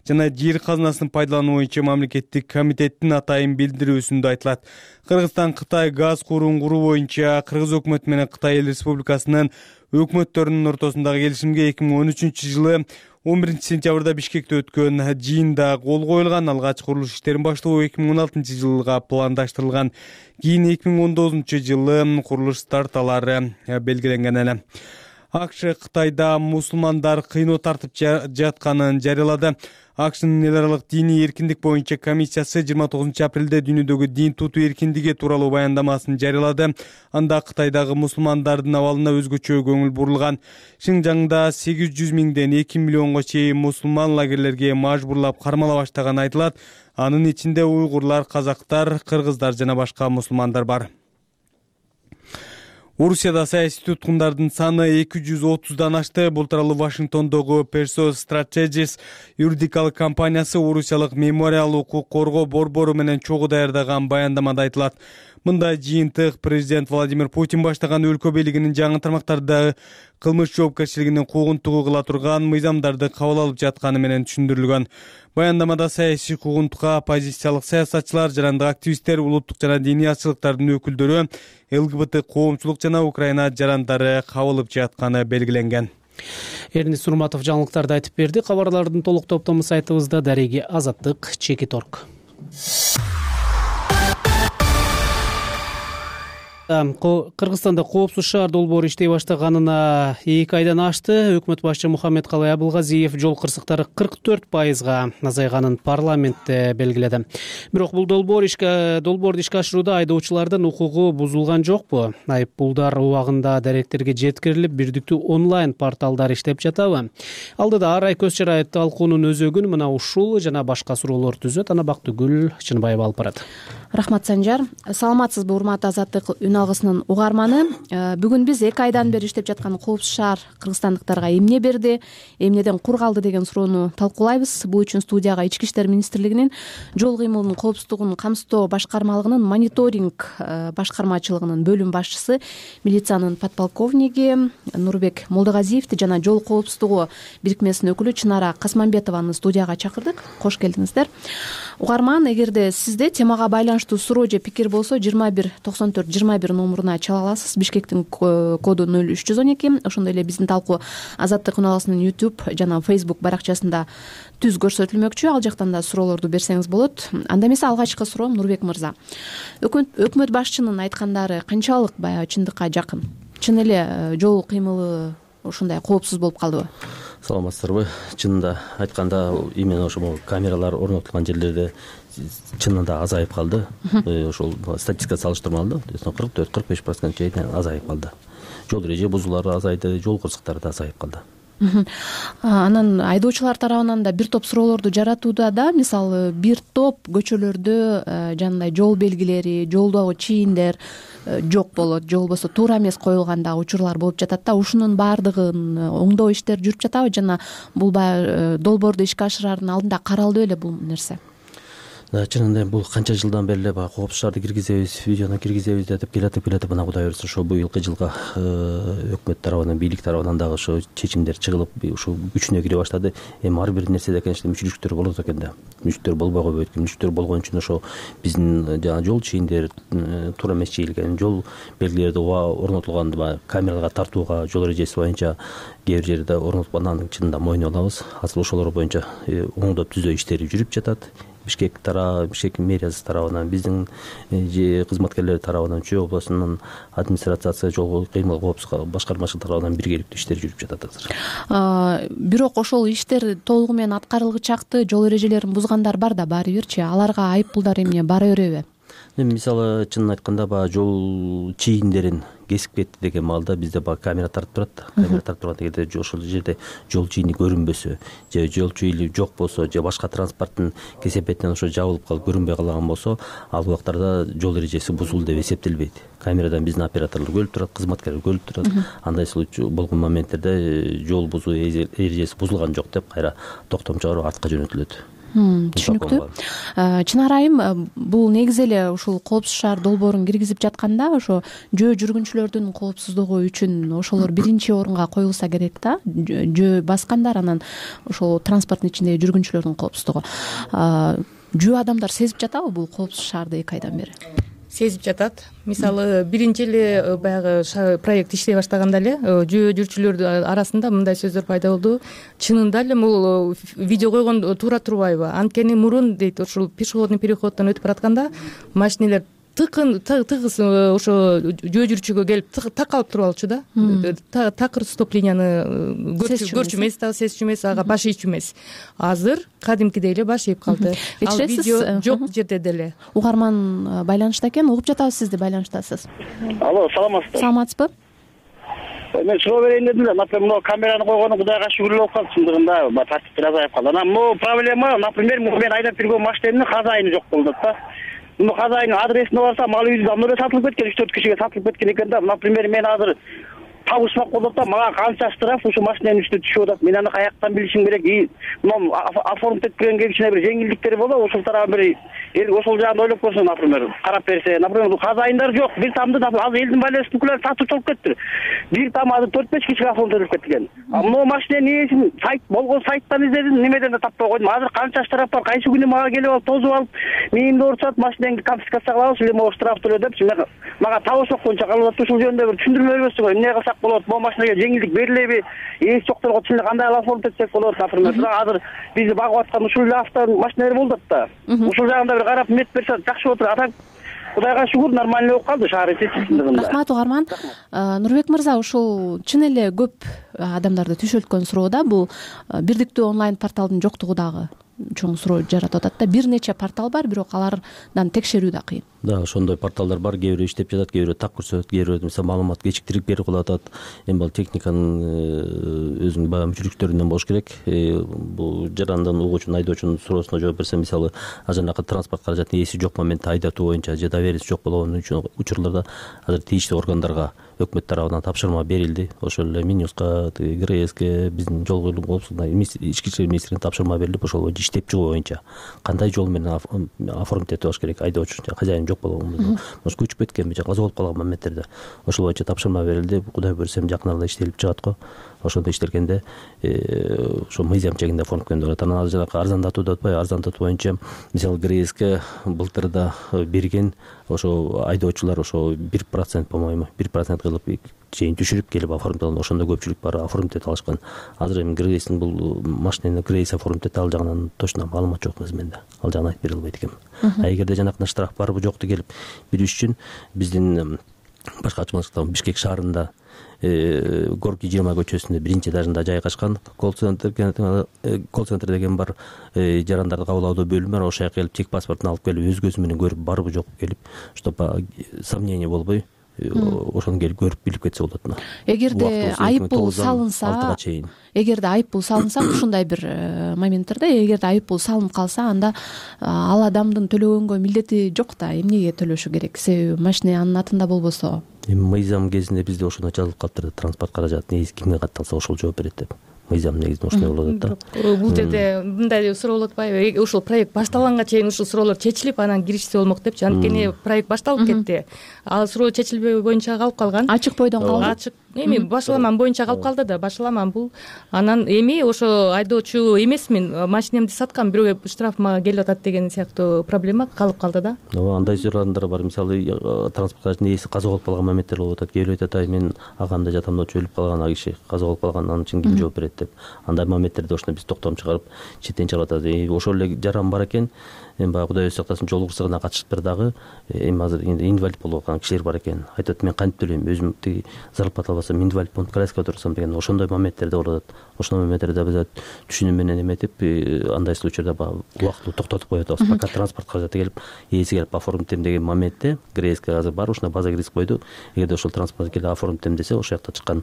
жана жер казынасын пайдалануу боюнча мамлекеттик комитеттин атайын билдирүүсүндө айтылат. Кыргызстан Кытай газ куурун куруу боюнча Кыргыз өкмөтү менен Кытай Эл Республикасынын өкмөттөрүнүн ортосундагы келишимге эки миң он үчүнчү жылы он биринчи сентябрда Бишкекте өткөн жыйында кол коюлган. Алгач курулуш иштерин баштоо эки миң он алтынчы жылга пландаштырылган. Кийин эки миң он тогузунчу жылы курулуш старталары белгиленген эле. АКШ Кытайда мусулмандар кыйноо тартып жатканын жарыялады. АКШнын эл аралык диний эркиндик боюнча комиссиясы жыйырма тогузунчу апрелде дүйнөдөгү дин тутуу эркиндиги тууралуу баяндамасын жарыялады. Анда Кытайдагы мусулмандардын абалына өзгөчө көңүл бурулган. Шинжаңда сегиз жүз миңден эки миллионго чейин мусулман лагерлерге мажбурлап кармала баштаганы айтылат. Анын ичинде уйгурлар, казактар, кыргыздар жана башка мусулмандар бар. Орусияда саясий туткундардын саны эки жүз отуздан ашты. Бул тууралуу Вашингтондогу Persos Strategies юридикалык компаниясы Орусиялык мемориал укук коргоо борбору менен чогуу даярдаган баяндамада айтылат. Мында жыйынтык президент Владимир Путин баштаган өлкө бийлигинин жаңы тармактардагы кылмыш жоопкерчилигинин куугунтугу кыла турган мыйзамдарды кабыл алып жатканы менен түшүндүрүлгөн. Баяндамада саясий куугунтукка оппозициялык саясатчылар, жарандык активисттер, улуттук жана диний азчылыктардын өкүлдөрү, ЛГБТ коомчулук жана Украина жарандары кабылып жатканы белгиленген. Эрнест Нурматов жаңылыктарды айтып берди. Кабарлардын толук топтому сайтыбызда дареги азаттык чекит точка орг. Кыргызстанда коопсуз шаар долбоору иштей баштаганына эки айдан ашты. Өкмөт башчы Мухаммедкалый Абылгазиев жол кырсыктары кырк төрт пайызга азайганын парламентте белгиледи. Бирок бул долбоор ишке долбоорду ишке ашырууда айдоочулардын укугу бузулган жокпу? Айыппулдар убагында даректерге жеткирилип, бирдиктүү онлайн порталдар иштеп жатабы? Алдыда ар ай көз чарайы талкуунун өзөгүн мына ушул жана башка суроолор түзөт. Ана Бактыгүл Чынбаева алып барат. Рахмат, Санжар. Саламатсызбы, урматтуу Азаттык үн алгысынын угарманы. Бүгүн биз эки айдан бери иштеп жаткан коопсуз шаар кыргызстандыктарга эмне берди, эмнеден кур калды деген суроону талкуулайбыз. Бул үчүн студияга Ички иштер министрлигинин жол кыймылынын коопсуздугун камсыздоо башкармалыгынын мониторинг башкармачылыгынын бөлүм башчысы, милициянын подполковниги Нурбек Молдогазиевди жана жол коопсуздугу бирикмесинин өкүлү Чынара Касманбетованы студияга чакырдык. Кош келдиңиздер. Угарман, эгерде сизде темага байланыштуу суроо же пикир болсо жыйырма бир токсон төрт жыйырма бир номуруна чала аласыз. Бишкектин коду ноль үч жүз он эки. Ошондой эле биздин талкуу Азаттык үн алгысынын YouTube жана Facebook баракчасында түз көрсөтүлмөкчү. Ал жактан да суроолорду берсеңиз болот. Анда эмесе алгачкы суроом, Нурбек мырза. Өкмөт башчынын айткандары канчалык баягы чындыкка жакын? Чын эле жол кыймылы ушундай коопсуз болуп калдыбы? Саламатсыздарбы? Чынында айтканда именно ошол камералар орнотулган жерлерде чынында азайып калды. Ошол статистика салыштырмалуу кырк төрт кырк беш процент чейин азайып калды. Жол эреже бузуулары азайды, жол кырсыктары да азайып калды. Анан айдоочулар тарабынан да бир топ суроолорду жаратууда да, мисалы бир топ көчөлөрдө жанагындай жол белгилери, жолдогу чийиндер жок болот, же болбосо туура эмес коюлган дагы учурлар болуп жатат да. Ушунун баардыгын оңдоо иштери жүрүп жатабы жана бул баягы долбоорду ишке ашырардын алдында каралды беле бул нерсе? Чынында бул канча жылдан бери эле баягы коопсуз шаарды киргизебиз, видеону киргизебиз деп келатып келатып мына Кудай буйрса ошо быйылкы жылга өкмөт тарабынан, бийлик тарабынан дагы ошо чечимдер чыгылып, ушул күчүнө кире баштады. Эми ар бир нерседе конечно мүчүлүктөр болот экен да. Мүчүлүктөр болбой койбойт экен. Мүчүлүктөр болгон үчүн ошо биздин жана жол чийиндер туура эмес чийилген, жол белгилерди орнотулган камераларга тартууга жол эрежеси боюнча кээ бир жерде орнотулганын чынында мойнуна алабыз. Азыр ошолор боюнча оңдоп түзөө иштери жүрүп жатат. Бишкек тарабы, Бишкек мэриясы тарабынан, биздин кызматкерлер тарабынан, Чүй облусунун администрациясы, жол кыймыл коопсуздук башкармачылык тарабынан биргеликтүү иштер жүрүп жатат азыр. Бирок ошол иштер толугу менен аткарылгычакты, жол эрежелерин бузгандар бар да барыбирчи. Аларга айыппулдар эмне бара береби? Мисалы чынын айтканда баягы жол чийиндерин кесип кетти деген маалда бизде баягы камера тартып турат. Камера тартып турган кезде ошол жерде жол чийини көрүнбөсө, же жол чийини жок болсо, же башка транспорттун кесепетинен ошо жабылып калып көрүнбөй калган болсо, ал убактарда жол эрежеси бузулду деп эсептелбейт. Камерадан биздин операторлор көрүп турат, кызматкерлер көрүп турат. Андай случай болгон моменттерде жол бузуу эрежеси бузулган жок деп кайра токтом чыгарып артка жөнөтүлөт. Түшүнүктүү. Чынар айым, бул негизи эле ушул коопсуз шаар долбоорун киргизип жатканда ошо жөө жүргүнчүлөрдүн коопсуздугу үчүн ошолор биринчи орунга коюлса керек да. Жөө баскандар, анан ошол транспорттун ичиндеги жүргүнчүлөрдүн коопсуздугу. Жөө адамдар сезип жатабы бул коопсуз шаарды эки айдан бери? Сезип жатат. Мисалы биринчи эле баягы проект иштей баштаганда эле жөө жүрчүлөр арасында мындай сөздөр пайда болду. Чынында эле бул видео койгон туура турбайбы? Анткени мурун дейт, ушул пешеходный переходдон өтүп баратканда машинелер тыкын тыгыз ошо жөө жүрчүгө келип такалып туруп алчу да. Такыр стоп линияны көрчү эмес, дагы сезчү эмес, ага баш ийчү эмес. Азыр кадимкидей эле баш ийип калды. Ал видео жок жерде деле. Угарман байланышта экен, угуп жатабыз сизди, байланыштасыз. Алло, саламатсызбы? Саламатсызбы? Мен суроо берейин дедим эле. Например, могу камераны койгону Кудайга шүгүр болуп калды, чындыгында тартиптер азайып калды. Анан могу проблема, например, мен айдап жүргөн машинемдин хозяйыны жок болду да. Муну хозяйынын адресине барсам, ал үйдө давно эле сатылып кеткен, үч төрт кишиге сатылып кеткен экен да. Например, мен азыр табышмак болуп да, мага канча штраф ушу машиненин үстүнө түшүп атат. Мен аны каяктан билишим керек? Мына оформить эткенге кичине бир жеңилдиктер болобу? Ошол тарабы бир эл ошол жагын ойлоп көрсө, например, карап берсе. Например, хозяйындар жок. Бир тамды азыр элдин байланыш бүкүлөр сатып чыгып кеттир. Бир там азыр төрт беш кишиге оформить этилип кеткен. А мына машиненин ээсин сайт болгон сайттан издедим, немеден да таппай койдум. Азыр канча штраф бар? Кайсы күнү мага келип алып тозуп алып, мээңди урушат, машинеңди конфискация кылабыз, эле могу штраф төлө депчи. Мага табышмак боюнча калып атат. Ушул жөнүндө бир түшүндүрмө бербөсүң го? Эмне кылсак болот? Бул машинеге жеңилдик берилеби? Ээси жокторго чын эле кандай оформить этсек болот? Например, азыр бизди багып аткан ушул эле автомашиналар болуп атат да. Ушул жагында бир карап мет берсе жакшы болот. Атаң кудайга шүгүр нормальный болуп калды, шаар чечилдигинде. Рахмат угарман. Нурбек мырза, ушул чын эле көп адамдарды түшөлткөн суроо да, бул бирдиктүү онлайн порталдын жоктугу дагы чоң суроо жаратып атат да. Бир нече портал бар, бирок алардан текшерүү да кыйын. Да, ошондой порталдар бар. Кээ бирөө иштеп жатат, кээ бирөө так көрсөтөт, кээ бирөө мисалы маалымат кечиктирип берип калып атат. Эми бул техниканын өзүнүн баягы мүчүлүктөрүнөн болуш керек. Бул жарандан угуучунун, айдоочунун суроосуна жооп берсе, мисалы ажанакы транспорт каражатынын ээси жок моментте айдатуу боюнча же доверенность жок болгон учурларда азыр тийиштүү органдарга өкмөт тарабынан тапшырма берилди. Ошол эле Минюска, ГРСке, биздин жол кыймыл коопсуздугуна, ички иштер министрлигине тапшырма берилип, ошол боюнча иштеп чыгуу боюнча кандай жол менен оформить этип алыш керек, айдоочу хозяин жок болгон, может көчүп кеткенби же каза болуп калган моменттерде ошол боюнча тапшырма берилди. Кудай буюрса жакын арада иштелип чыгат го. Ошондо иштелгенде ошо мыйзам чегинде оформить болот. Анан жанагы арзандатуу деп атпайбы, арзандатуу боюнча мисалы ГРСке былтырда берген ошо айдоочулар ошо бир процент, по-моему, бир процент кылып чейин түшүрүп келип оформить алган. Ошондо көпчүлүк бар оформить эте алышкан. Азыр эми ГРСтин бул машинени ГРС оформить эте ал жагынан точно маалымат жок менде. Ал жагын айтып бере албайт экенмин. А эгерде жанакындай штраф барбы жокту келип билиш үчүн биздин башка ачмалыктан Бишкек шаарында Горки жыйырма көчөсүндө биринчи этажында жайгашкан колл центр колл центр деген бар, жарандарды кабыл алуу бөлүмү бар. Ошол жака келип тек паспортун алып келип өз көзү менен көрүп барбы жокпу келип, чтобы сомнение болбой ошону келип көрүп билип кетсе болот. Эгерде айып бул салынса, эгерде айып бул салынса, ушундай бир моменттерде эгерде айып бул салынып калса, анда ал адамдын төлөгөнгө милдети жок да. Эмнеге төлөшү керек? Себеби машина анын атында болбосо. Эми мыйзам кезинде бизде ошондо жазылып калыптыр да, транспорт каражатынын ээси кимге катталса ошол жооп берет деп. Мыйзам негизинде ошондой болот да. Бул жерде мындай суроо болуп атпайбы? Ушул проект башталганга чейин ушул суроолор чечилип, анан киришсе болмок депчи. Анткени проект башталып кетти. Ал суроо чечилбөө боюнча калып калган. Ачык бойдон калды. Ачык. Эми башаламан боюнча калып калды да, башаламан бул. Анан эми ошо айдоочу эмесмин, машинемди саткам, бирөөгө штраф мага келип атат деген сыяктуу проблема калып калды да. Ооба, андай суроолор бар. Мисалы транспорт каражатынын ээси каза болуп калган моменттер болуп атат. Кээ бирөө айтат, ай мен агамда жатам да өлүп калган, а киши каза болуп калган, анын үчүн ким жооп берет деп. Андай моменттерде ошондо биз токтом чыгарып четтен чыгып атат. Ошол эле жаран бар экен. Эми баягы Кудай өзү сактасын, жол кырсыгына катышыптыр дагы. Эми азыр инвалид болуп аткан кишилер бар экен. Айтат, мен кантип төлөйм, өзүм тиги зарплата албасам инвалид болуп коляскага отурсам деген ошондой моменттерде болуп атат. Ошондой моменттерде биз түшүнүү менен эметип, андай случайда баягы убактылуу токтотуп коюп атабыз. Пока транспорт каражаты келип, ээси келип оформитем деген моментте ГРСке азыр бар, ушуна база риск койду. Эгерде ошол транспорт келип оформитем десе, ошол жакта чыккан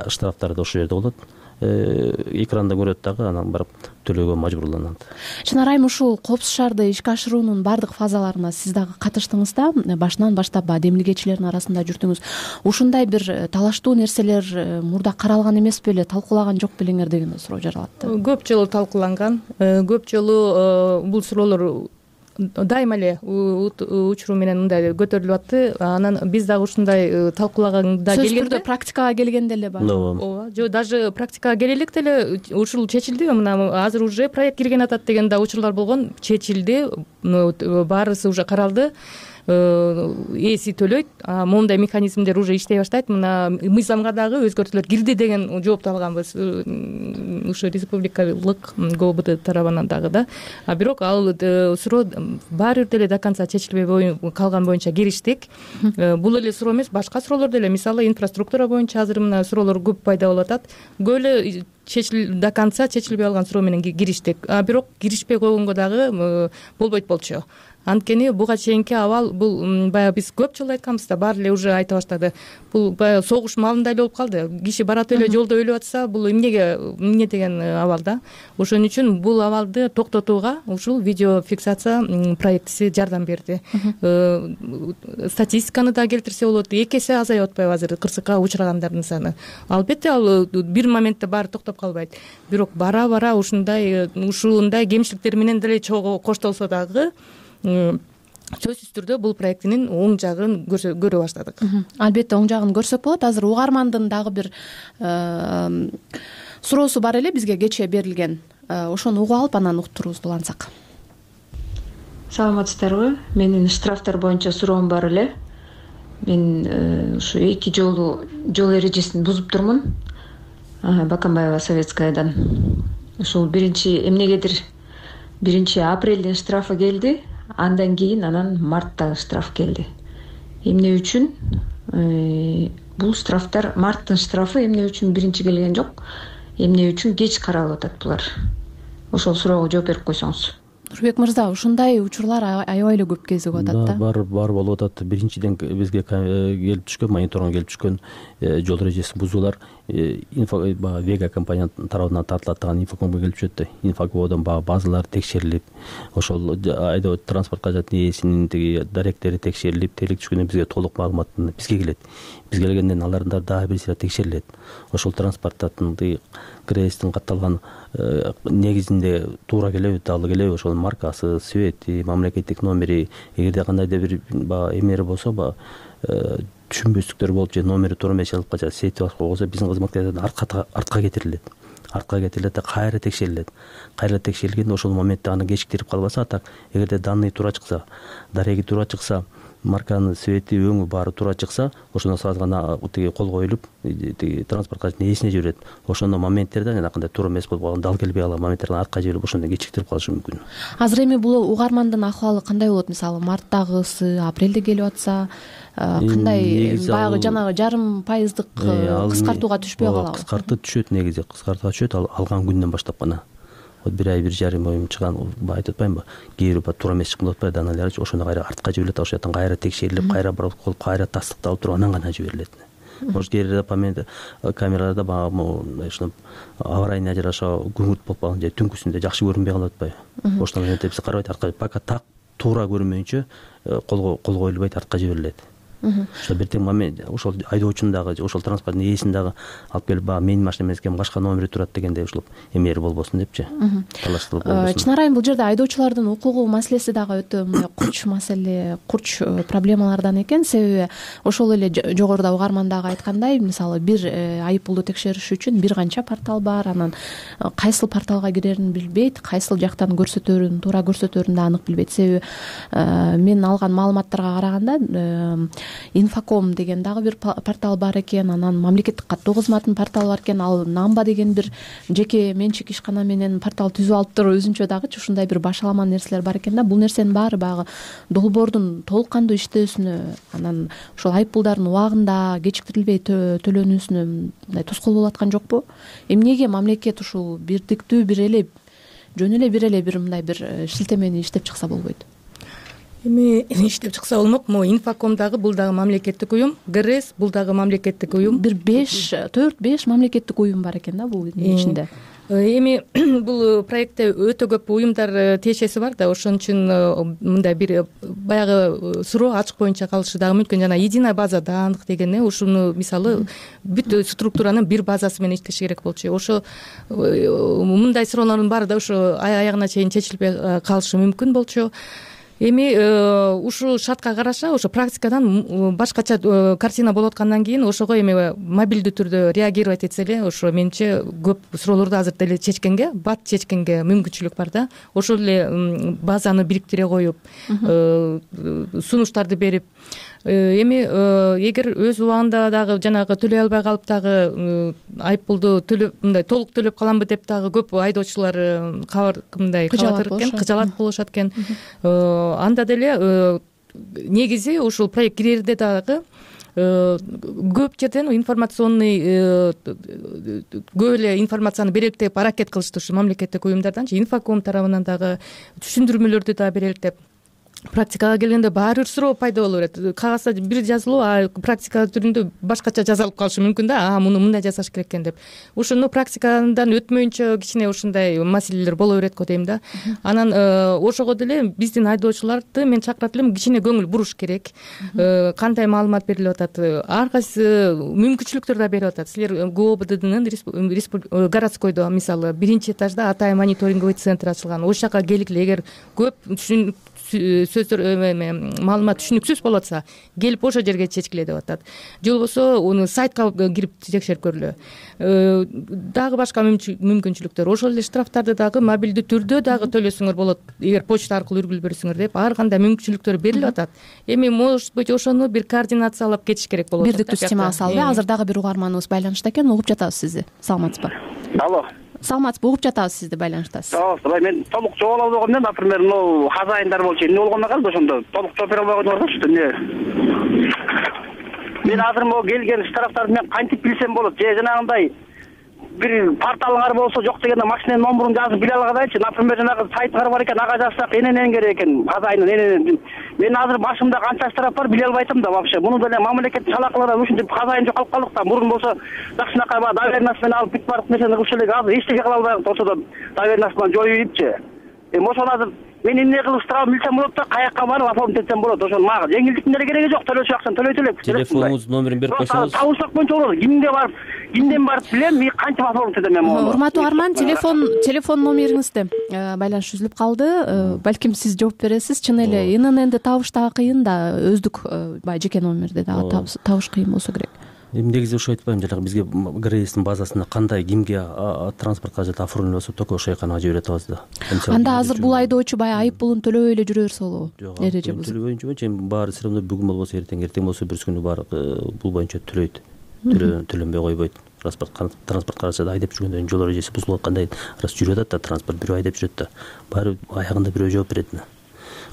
штрафтар да ошол жерде болот. Экранда көрөт дагы, анан барып төлөөгө мажбурланат. Чынар айым, ушул коопсуз шаарды ишке ашыруунун баардык фазаларына сиз дагы катыштыңыз да. Башынан баштап демилгечилердин арасында жүрдүңүз. Ушундай бир талаштуу нерселер мурда каралган эмес беле, талкуулаган жок белеңер деген суроо жаралат. Көп жолу талкууланган, көп жолу бул суроолор дайыма эле учуру менен мындай көтөрүлүп атты. Анан биз дагы ушундай талкуулаганда келгенде, сөзсүз түрдө практикага келгенде эле бар. Ооба, жок, даже практикага келе электе эле ушул чечилди. Мына азыр уже проект кирген атат деген да учурлар болгон. Чечилди, баарысы уже каралды. Ээси төлөйт. Моундай механизмдер уже иштей баштайт. Мына мыйзамга дагы өзгөртүүлөр кирди деген жоопту алганбыз ушу республикалык ГОБД тарабынан дагы да. А бирок ал суроо баары бир деле до конца чечилбей калган боюнча кириштик. Бул эле суроо эмес, башка суроолор деле, мисалы инфраструктура боюнча азыр мына суроолор көп пайда болуп атат. Көп эле чечил до конца чечилбей калган суроо менен кириштик. А бирок киришпей койгонго дагы болбойт болчу. Анткени буга чейинки абал бул баягы биз көп жолу айтканбыз да, баары эле уже айта баштады. Бул баягы согуш маалындай эле болуп калды. Киши барат эле жолдо өлүп атса, бул эмнеге эмне деген абал да. Ошон үчүн бул абалды токтотууга ушул видео фиксация проектиси жардам берди. Статистиканы да келтирсе болот. Эки эсе азайып атпайбы азыр кырсыкка учурагандардын саны? Албетте ал бир моментте баары токтоп калбайт. Бирок бара-бара ушундай ушундай кемчиликтер менен деле чогуу коштолсо дагы сөзсүз түрдө бул проектинин оң жагын көрө баштадык. Албетте оң жагын көрсөк болот. Азыр угармандын дагы бир суроосу бар эле бизге кечээ берилген. Ошону угуп алып анан уктуруубузду улантсак. Саламатсыздарбы? Менин штрафтар боюнча суроом бар эле. Мен ушу эки жолу жол эрежесин бузуп турмун. Баканбаева Советскаядан. Ушул биринчи эмнегедир биринчи апрелдин штрафы келди. андан кийин анан мартта штраф келди. Эмне үчүн? Бул штрафтар, марттын штрафы эмне үчүн биринчи келген жок, эмне үчүн кеч каралып атат булар? Ошол суроого жооп берип койсоңуз. Нурбек мырза, ушундай учурлар аябай эле көп кезип атат да. Бар, бар болуп атат. Биринчиден бизге келип түшкөн, мониторинг келип түшкөн жол эрежесин бузуулар инфо Вега компания тарабынан тартылат деген инфокомго келип түшөт да. Инфокодон баягы базалар текшерилип, ошол айдоо транспортко жаткан ээсинин тиги даректери текшерилип, тейлик түшкөндө бизге толук маалымат бизге келет. Бизге келгенден алардан дагы бир сыйра текшерилет. Ошол транспорттун креестин катталган негизинде туура келеби, таалуу келеби, ошол маркасы, цвети, мамлекеттик номери, эгерде кандайдыр бир баягы эмери болсо, баягы түшүнбөстүктөр болуп же номери туура эмес жазылып калса, сети башка болсо биздин кызматкерлерден артка артка кетирилет. Артка кетирилет да кайра текшерилет. Кайра текшерилгенде ошол моментте аны кечиктирип калбаса, так эгерде данный туура чыкса, дареги туура чыкса, марканын цвети, өңү баары туура чыкса, ошондо сразу гана тиги кол коюлуп, тиги транспортка ээсине жиберет. Ошондо моменттерде жанагындай туура эмес болуп калган, дал келбей калган моменттерден артка жиберип, ошондо кечиктирип калышы мүмкүн. Азыр эми бул угармандын акыбалы кандай болот? Мисалы, марттагысы, апрелде келип атса, кандай баягы жанагы жарым пайыздык кыскартууга түшпөй калабы? Кыскартып түшөт, негизи кыскартууга түшөт, ал алган күндөн баштап гана. Вот бир ай, бир жарым ой чыган, айтып атпаймынбы? Кээ бир туура эмес чыккан болуп атпайбы, даналары ошондо кайра артка жиберилет, ошол жактан кайра текшерилип, кайра протокол, кайра тастыкталып туруп анан гана жиберилет. Может, кээ бир камераларда баягы ушуну аварийный ажыраша күңүрт болуп калган же түнкүсүндө жакшы көрүнбөй калып атпайбы? Ошондон кийин биз карабайт, артка пока так туура көрүнмөйүнчө кол коюлбайт, артка жиберилет. Ошо бир тең момент, ошол айдоочунун дагы, ошол транспорттун ээсинин дагы алып келип, баягы менин машина эмес экен, башка номери турат дегенде ушул эмери болбосун депчи. Талаштырып болбосун. Чын арайым бул жерде айдоочулардын укугу маселеси дагы өтө мындай курч маселе, курч проблемалардан экен. Себеби ошол эле жогоруда угармандагы айткандай, мисалы, бир айыппулду текшериш үчүн бир канча портал бар, анан кайсыл порталга кирерин билбейт, кайсыл жактан көрсөтөрүн, туура көрсөтөрүн да анык билбейт. Себеби мен алган маалыматтарга караганда Инфоком деген дагы бир портал бар экен, анан мамлекеттик каттоо кызматынын порталы бар экен, ал Намба деген бир жеке менчик ишкана менен портал түзүп алыптыр, өзүнчө дагычы ушундай бир башалама нерселер бар экен да. Бул нерсенин баары баягы долбоордун толук кандуу иштөөсүнө, анан ошол айыппулдардын убагында кечиктирилбей төлөнүүсүнө мындай тоскоол болуп аткан жокпу? Эмнеге мамлекет ушул бирдиктүү бир эле жөн эле бир эле бир мындай бир шилтемени иштеп чыкса болбойт? Эми иштеп чыкса болмок. Могу Инфоком дагы бул дагы мамлекеттик уюм, ГРС бул дагы мамлекеттик уюм. Бир беш, төрт беш мамлекеттик уюм бар экен да бул ичинде. Эми бул проектте өтө көп уюмдар тиешеси бар да, ошон үчүн мындай бир баягы суроо ачык боюнча калышы дагы мүмкүн. Жана единая база даандык деген ушуну мисалы бүт структуранын бир базасы менен иштеш керек болчу. Ошо мындай суроолордун баары да ошо аягына чейин чечилбей калышы мүмкүн болчу. Эми ушул шартка караша ошо практикадан башкача картина болуп аткандан кийин ошого эми мобилдүү түрдө реагировать этсе эле, ошо менимче көп суроолорду азыр деле чечкенге, бат чечкенге мүмкүнчүлүк бар да. Ошол эле базаны бириктире коюп, сунуштарды берип, эми эгер өз убагында дагы жанагы төлөй албай калып дагы айыппулду төлөп мындай толук төлөп каламбы деп дагы көп айдоочулар кабар мындай кабатыр экен, кыжалат болушат экен. Анда деле негизи ушул проект кирерде дагы көп жерден информационный көп эле информацияны берелик деп аракет кылышты ушу мамлекеттик уюмдарданчы, Инфоком тарабынан дагы түшүндүрмөлөрдү да берелик деп. Практикага келгенде баары бир суроо пайда боло берет. Кагазда бир жазылуу, а практика түрүндө башкача жазылып калышы мүмкүн да, а муну мындай жасаш керек экен деп. Ошону практикадан өтмөйүнчө кичине ушундай маселелер боло берет го дейм да. Анан ошого деле биздин айдоочуларды мен чакырат элем, кичине көңүл буруш керек. Кандай маалымат берилип атат, ар кайсы мүмкүнчүлүктөр да берип атат. Силер ГОБДднын городскойдо мисалы биринчи этажда Атай мониторинговый центр ачылган. Ошол жака келгиле, эгер көп сөздөр маалымат түшүнүксүз болуп атса, келип ошол жерге чечкиле деп атат. Же болбосо уну сайтка кирип текшерип көрүлө. Дагы башка мүмкүнчүлүктөр, ошол эле штрафтарды дагы мобилдүү түрдө дагы төлөсөңөр болот, эгер почта аркылуу үргүлүп берсеңер деп ар кандай мүмкүнчүлүктөр берилип атат. Эми может быть ошону бир координациялап кетиш керек болот. Бирдиктүү система салды. Азыр дагы бир угарманыбыз байланышта экен, угуп жатабыз сизди. Саламатсызбы? Алло. саламатсызбы, угуп жатабыз, сизди байланыштасыз. Саламатсызбы. Мен толук жооп ала албагам элем, например, могу хозяиндар болчу, эмне болгондо калды ошондо толук жооп бере албаган бар да, что эмне. Мен азыр могу келген штрафтарды мен кантип билсем болот? Же жанагындай бир порталыңар болсо, жок дегенде машинанын номерун жазып биле алгадайчы. Например, жанагы сайттар бар экен, ага жазсак эненен керек экен, хозяйны эненен. Мен азыр башымда канча штраф бар биле албайтам да вообще. Муну деле мамлекеттик шалакалар ушинтип хозяйын жоколуп калдык да. Мурун болсо жакшынакай баягы доверенность менен алып бүт бардык нерсени кылчу элек. Азыр эчтеке кыла албайбыз, ошодон доверенность менен жоюп ийипчи. Эми ошону азыр мен эмне кылып штраф билсем болот да, каякка барып оформить этсем болот. Ошону мага жеңилдиктин деле кереги жок, төлөчү акчаны төлөйт элек. Телефонуңуздун номерин берип койсоңуз. Табылсак боюнча болот. Кимге барып, кимден барып билем, мен кантип оформить этем мен мону. Урматтуу угарман, телефон телефон номериңизди байланыш үзүлүп калды. Балким сиз жооп бересиз. Чын эле ИННди табыш дагы кыйын да, өздүк баягы жеке номерди дагы табыш кыйын болсо керек. Эми негизи ошо айтпайм, жанагы бизге ГРЭСтин базасында кандай кимге транспорт каражаты оформлено болсо только ошол жакка жибере атабыз да. Анда азыр бул айдоочу баягы айып пулун төлөбөй эле жүрө берсе болобу? Жок, төлөбөй жүрбөйчү, эми баары все равно бүгүн болбосо эртең, эртең болсо бүрсү күнү баары бул боюнча төлөйт. Төлөнбөй койбойт. Транспорт транспорт каражаты айдап жүргөндөн жол эрежеси бузулуп аткандай рас жүрүп атат да, транспорт бирөө айдап жүрөт да. Баары аягында бирөө жооп берет да.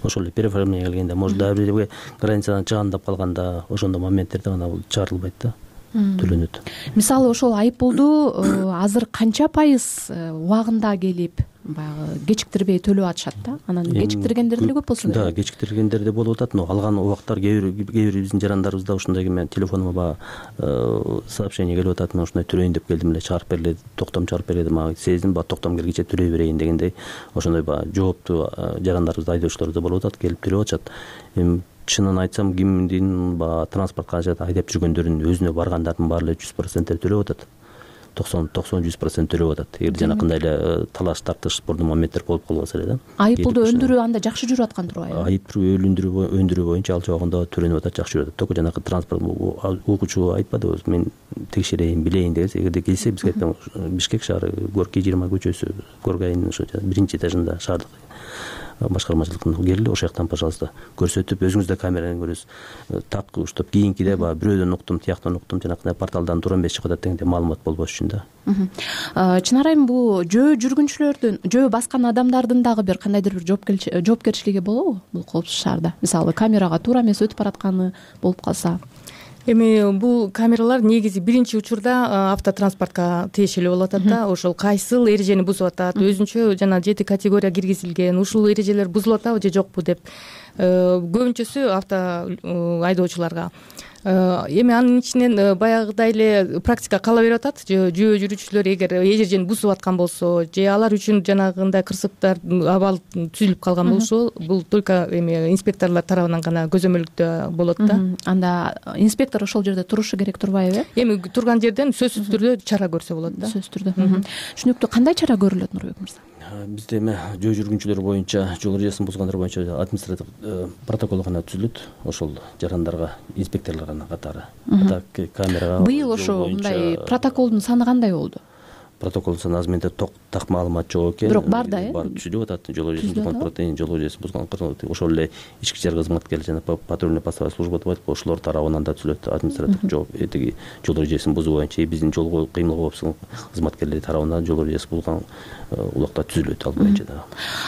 Ошол эле переоформление келгенде, может дагы бирөө границадан чыгандап калганда, ошондо моменттерде гана бул чыгарылбайт да. Төлөнөт. Мисалы ошол айып пулду азыр канча пайыз убагында келип, баягы кечиктирбей төлөп атышат да? Анан кечиктиргендер деле көп болсо керек. Да, кечиктиргендер да болуп атат, но алган убактар кээ бир кээ бир биздин жарандарыбызда ушундай мен телефонума баягы сообщение келип атат, мен ушундай төлөйүн деп келдим эле, чыгарып бергиле, токтом чыгарып бергиле, мага сездим, баягы токтом келгиче төлөй берейин дегендей, ошондой баягы жооптуу жарандарыбыз, айдоочулар да болуп атат, келип төлөп атышат. Эми чынын айтсам, кимдин баягы транспорт каражаты айдап жүргөндөрдүн өзүнө баргандардын баары эле жүз процент төлөп атат. токсон токсон жүз процент төлөп атат. Эгер жанакындай эле талаш тартыш спордуу моменттер болуп калбаса эле да. Айып пулду өндүрүү анда жакшы жүрүп аткан турбайбы? Айып пулду өндүрүү өндүрүү боюнча ал жагында төлөнүп атат, жакшы жүрүп атат. Только жанакы транспорт угуучу айтпадыбы, мен текшерейин, билейин дегенде, эгерде келсе бизге айтам, Бишкек шаары Горький жыйырма көчөсү, Горгайдын ошо биринчи этажында шаардык башкармачылыктын келди, ошол жактан пожалуйста көрсөтүп, өзүңүз да камерадан көрөсүз. Так уштап кийинкиде баягы бирөөдөн уктум, тияктан уктум, жанакындай порталдан туура эмес чыгып атат дегенде маалымат болбош үчүн да. Чынар айым, бул жөө жүргүнчүлөрдүн, жөө баскан адамдардын дагы бир кандайдыр бир жоопкерчилиги болобу бул коопсуз шаарда? Мисалы камерага туура эмес өтүп баратканы болуп калса. Эми бул камералар негизи биринчи учурда автотранспортко тиешелүү болуп атат да. Ошол кайсыл эрежени бузуп атат, өзүнчө жана жети категория киргизилген, ушул эрежелер бузулуп атабы же жокпу деп көбүнчөсү авто айдоочуларга. Эми анын ичинен баягыдай эле практика кала берип атат. Жөө жүрүүчүлөр эгер эрежени бузуп аткан болсо же алар үчүн жанагындай кырсыктар абал түзүлүп калган болсо, бул только эми инспекторлор тарабынан гана көзөмөлдө болот да. Анда инспектор ошол жерде турушу керек турбайбы? Эми турган жерден сөзсүз түрдө чара көрсө болот да. Сөзсүз түрдө. Түшүнүктүү. Кандай чара көрүлөт, Нурбек мырза? Бизде эми жөө жүргүнчүлөр боюнча, жол эрежесин бузгандар боюнча административ протокол гана түзүлөт, ошол жарандарга инспекторлордун катары. Так камерага быйыл ошо мындай протоколдун саны кандай болду? Протоколдун саны азыр менде так маалымат жок экен. Бирок бар да, э? Бар, түзүлүп атат. Жол эрежесин бузган протеин, жол эрежесин бузган ошол эле ички ишер кызматкерлери жана патрульный постовая служба деп айтып, ошолор тарабынан да түзүлөт административ жооп, этиги жол эрежесин бузуу боюнча биздин жол кыймыл коопсуздук кызматкерлери тарабынан жол эрежеси бузган улакта түзүлөт ал боюнча да.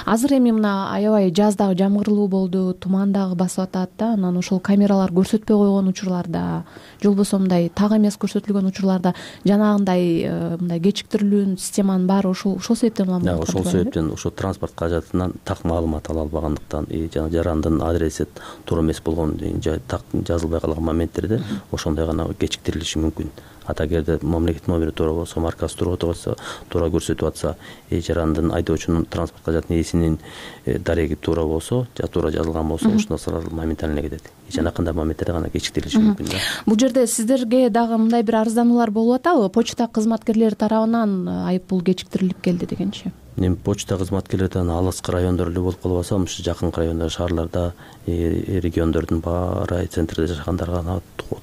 Азыр эми мына аябай жаздагы жамгырлуу болду, туман дагы басып атат да, анан ошол камералар көрсөтпөй койгон учурларда, же болбосо мындай так эмес көрсөтүлгөн учурларда жанагындай мындай кечиктирилүүнүн системанын баары ошол ошол себептен улам болот. Ошол себептен ошо транспорт каражатынан так маалымат ала албагандыктан, жана жарандын адреси туура эмес болгон, так жазылбай калган моменттерде ошондой гана кечиктирилиши мүмкүн. Ата эгерде мамлекеттин номери туура болсо, маркасы туура болсо, туура көрсөтүп атса, жарандын айдоочунун транспорт каражатынын ээсинин дареги туура болсо, же туура жазылган болсо, ошондо сразу моментально кетет. Жанакындай моменттерде гана кечиктирилиши мүмкүн да. Бул жерде сиздерге дагы мындай бир арыздануулар болуп атабы? Почта кызматкерлери тарабынан айып пул кечиктирилип келди дегенчи. Эми почта кызматкерлерден алыскы райондор эле болуп калбаса, ушу жакынкы райондор, шаарларда, региондордун баары центрде жашагандарга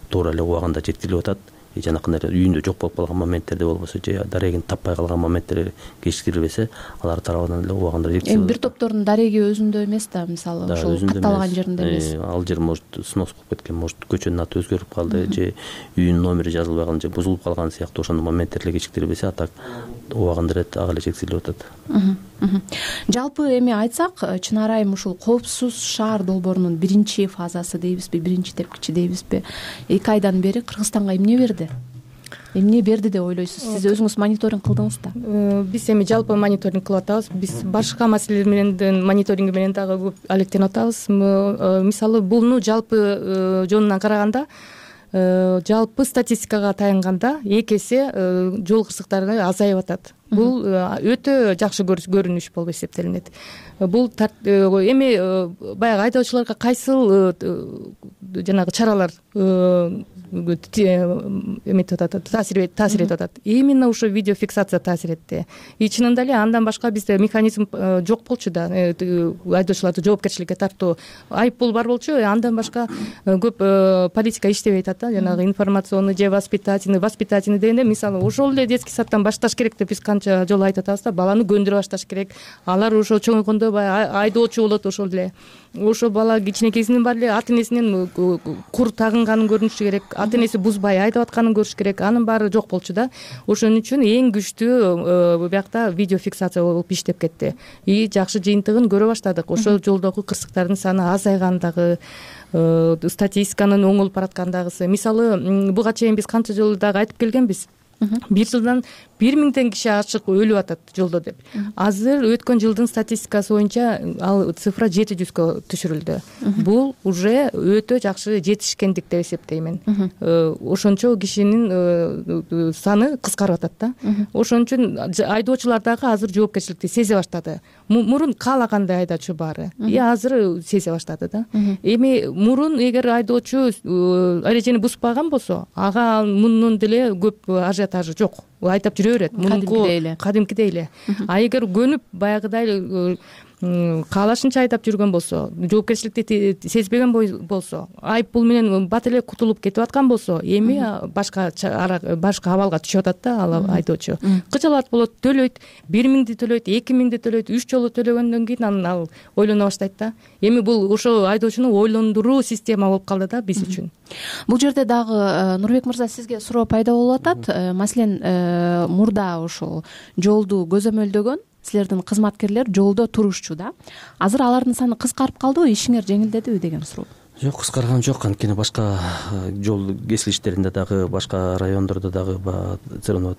туура эле убагында жеткирилип атат. Жанакындай үйүндө жок болуп калган моменттерде болбосо, же дарегин таппай калган моменттер кечиктирилбесе, алар тарабынан эле убагында жеткирилет. Эми бир топтордун дареги өзүндө эмес да, мисалы ошол катталган жеринде эмес. Ал жер может снос болуп кеткен, может көчөнүн аты өзгөрүп калды, же үйүнүн номери жазылбай калган, же бузулуп калган сыяктуу ошондой моменттер эле кечиктирилбесе, а так убагында ирет ага эле чектелип атат. Жалпы эми айтсак, Чынар айым ушул коопсуз шаар долбоорунун биринчи фазасы дейбизби, биринчи тепкичи дейбизби, эки айдан бери Кыргызстанга эмне берди? Эмне берди деп ойлойсуз? Сиз өзүңүз мониторинг кылдыңыз да? Биз эми жалпы мониторинг кылып атабыз. Биз башка маселелер менен мониторинг менен дагы көп алектенип атабыз. Мисалы, буну жалпы жонунан караганда, жалпы статистикага таянганда эки эсе жол кырсыктары азайып атат. Бул өтө жакшы көрүнүш болуп эсептелинет. Бул эми баягы айдоочуларга кайсыл жанагы чаралар эметип атат, таасир таасир этип атат. Именно ушул видеофиксация таасир этти. И чынында эле андан башка бизде механизм жок болчу да, айдоочуларды жоопкерчиликке тартуу. Айыппул бар болчу, андан башка көп политика иштебей атат да, жанагы информационный же воспитательный, воспитательный дегенде, мисалы, ошол эле детский садтан башташ керек деп биз канча жолу айтып атабыз да, баланы көндүрө башташ керек. Алар ошо чоңойгондо баягы айдоочу болот ошол эле. Ошо бала кичинекейсинен баары эле ата энесинен кур тагынганын көрүнүшү керек, ата энеси бузбай айдап атканын көрүш керек. Анын баары жок болчу да. Ошон үчүн эң күчтүү биякта видеофиксация болуп иштеп кетти. И жакшы жыйынтыгын көрө баштадык. Ошол жолдогу кырсыктардын саны азайгандагы, статистиканын оңолуп бараткандагысы. Мисалы, буга чейин биз канча жолу дагы айтып келгенбиз. Бир жылдан бир миңден киши ачык өлүп атат жолдо деп. Азыр өткөн жылдын статистикасы боюнча ал цифра жети жүзгө түшүрүлдү. Бул уже өтө жакшы жетишкендик деп эсептеймин. Ошончо кишинин саны кыскарып атат да. Ошон үчүн айдоочулар дагы азыр жоопкерчиликти сезе баштады. Мурун каалагандай айдоочу баары, и азыр сезе баштады да. Эми мурун эгер айдоочу эрежени бузбаган болсо, ага мунун деле көп ажиотажы жок. Айтап жүрө берет. Мунку кадимкидей эле. А эгер көнүп баягыдай каалашынча айдап жүргөн болсо, жоопкерчиликти сезбеген болсо, айып пул менен бат эле кутулуп кетип аткан болсо, эми башка башка абалга түшүп атат да ал айдоочу. Кыжалат болот, төлөйт, бир миңди төлөйт, эки миңди төлөйт, үч жолу төлөгөндөн кийин анан ал ойлоно баштайт да. Эми бул ошо айдоочуну ойлондуруу система болуп калды да биз үчүн. Бул жерде дагы Нурбек мырза, сизге суроо пайда болуп атат. Маселен, мурда ошол жолду көзөмөлдөгөн силердин кызматкерлер жолдо турушчу да. Азыр алардын саны кыскарып калдыбы, ишиңер жеңилдедиби деген суроо. Жок, кыскарган жок. Анткени башка жол кесилиштеринде дагы, башка райондордо дагы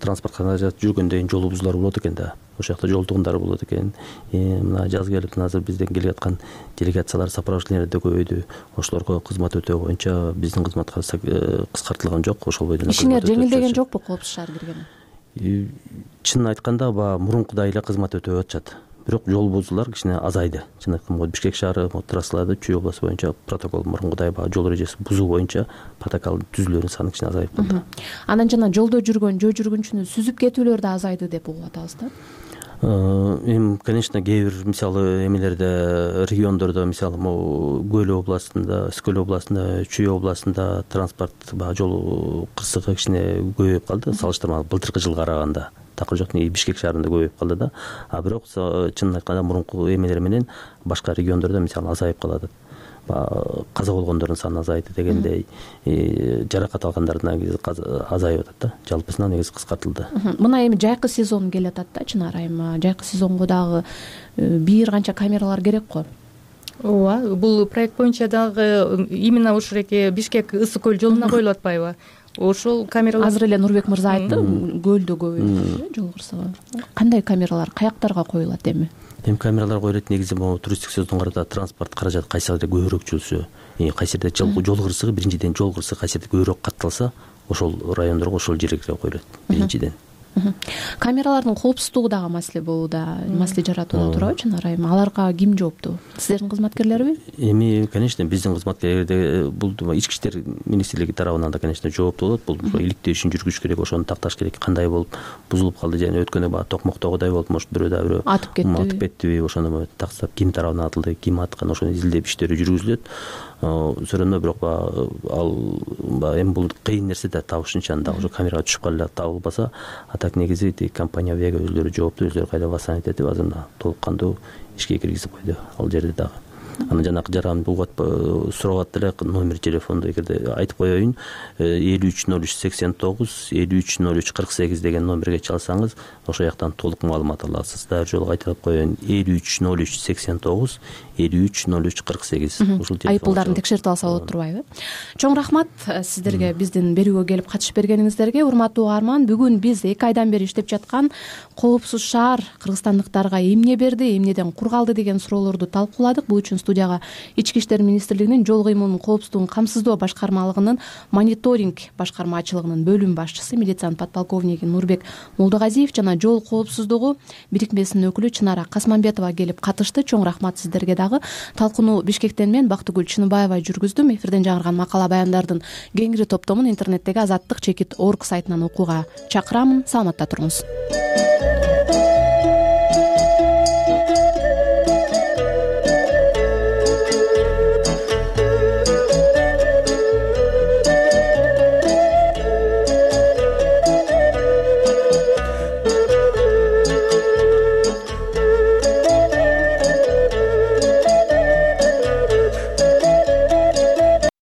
транспорт каражат жүргөндөн жол бузуулар болот экен да. Ошол жакта жол тугундар болот экен. Мына жаз келип, азыр бизден келип аткан делегациялар, сопровождениелер да көбөйдү. Ошолорго кызмат өтөө боюнча биздин кызматка кыскартылган жок. Ошол бойдон ишиңер жеңилдеген жокпу коопсуз шаар киргени? Чынын айтканда, баягы мурункудай эле кызмат өтөп атышат. Бирок жол бузуулар кичине азайды. Чын айтканда, Бишкек шаары трассаларда Чүй областы боюнча протокол мурункудай баягы жол эрежеси бузуу боюнча протокол түзүүлөрүнүн саны кичине азайып калды. Анан жана жолдо жүргөн жөө жүргүнчүнү сүзүп кетүүлөр да азайды деп угуп атабыз да. Эми, конечно, кээ бир мисалы эмелерде, региондордо, мисалы, Көл областында, Скөл областында, Чүй областында транспорт баягы жол кырсыгы кичине көбөйүп калды, салыштырмалуу былтыркы жылга караганда. Такыр жок, Бишкек шаарында көбөйүп калды да. А бирок чынын айтканда мурунку эмелер менен башка региондордо мисалы азайып калат. Каза болгондордун саны азайды дегендей, жаракат алгандардын азайып атат да. Жалпысынан негизи кыскартылды. Мына эми жайкы сезон келип атат да, Чынар айым. Жайкы сезонго дагы бир канча камералар керек го. Ооба, бул проект боюнча дагы именно ушул эки Бишкек Ысык көл жолуна коюлуп атпайбы? Ошол камералар азыр эле Нурбек мырза айтты, көлдө көбөйдү жол кырсыгы. Кандай камералар каяктарга коюлат эми? Эми камералар коюлат негизи могу туристтик сезонго транспорт каражаты кайсы жерде көбүрөөк жүрсө, кайсы жерде жол кырсыгы, биринчиден жол кырсыгы кайсы жерде көбүрөөк катталса, ошол райондорго, ошол жерге коюлат биринчиден. Камералардын коопсуздугу дагы маселе болууда, маселе жаратууда турабы, Чынар айым? Аларга ким жооптуу? Сиздердин кызматкерлерби? Эми, конечно, биздин кызматкерлерде бул Ички иштер министрлиги тарабынан да, конечно, жооптуу болот. Бул иликтөө ишин жүргүзүш керек, ошону такташ керек. Кандай болуп бузулуп калды, жана өткөндө баягы Токмоктогудай болуп, может бирөө да бирөө атып кеттиби? Атып кеттиби? Ошону тактап, ким тарабынан атылды, ким аткан, ошону изилдеп иштери жүргүзүлөт. Сөрөндө бирок ал эми бул кыйын нерсе да, табышынча анда ошо камерага түшүп калып табылбаса, а так негизи компания Вега өзлөрү жооптуу, өзлөрү кайда восстановить этип, азыр толук кандуу ишке киргизип койду ал жерде дагы. анан жанагы жаранды угат сурап атты эле номер телефонду эгерде айтып коеюн элүү үч ноль үч сексен тогуз элүү үч ноль үч кырк сегиз деген номерге чалсаңыз ошол жактан толук маалымат аласыз. Дагы жолу кайталап коеюн элүү үч ноль үч сексен тогуз элүү үч ноль үч кырк сегиз. Ушул телефон айыппулдарын текшертип алса болот турбайбы? Чоң рахмат сиздерге биздин берүүгө келип катышып бергениңиздерге. Урматтуу угарман, бүгүн биз эки айдан бери иштеп жаткан коопсуз шаар кыргызстандыктарга эмне берди, эмнеден кур калды деген суроолорду талкууладык. Бул үчүн студияга Ички иштер министрлигинин жол кыймылынын коопсуздугун камсыздоо башкармалыгынын мониторинг башкармачылыгынын бөлүм башчысы милициянын подполковниги Нурбек Молдогазиев жана жол коопсуздугу бирикмесинин өкүлү Чынара Касманбетова келип катышты. Чоң рахмат сиздерге дагы. Талкууну Бишкектен мен Бактыгүл Чыныбаева жүргүздүм. Эфирден жаңырган макала баяндардын кеңири топтомун интернеттеги азаттык чекит орг сайтынан окууга чакырамын. Саламатта туруңуз.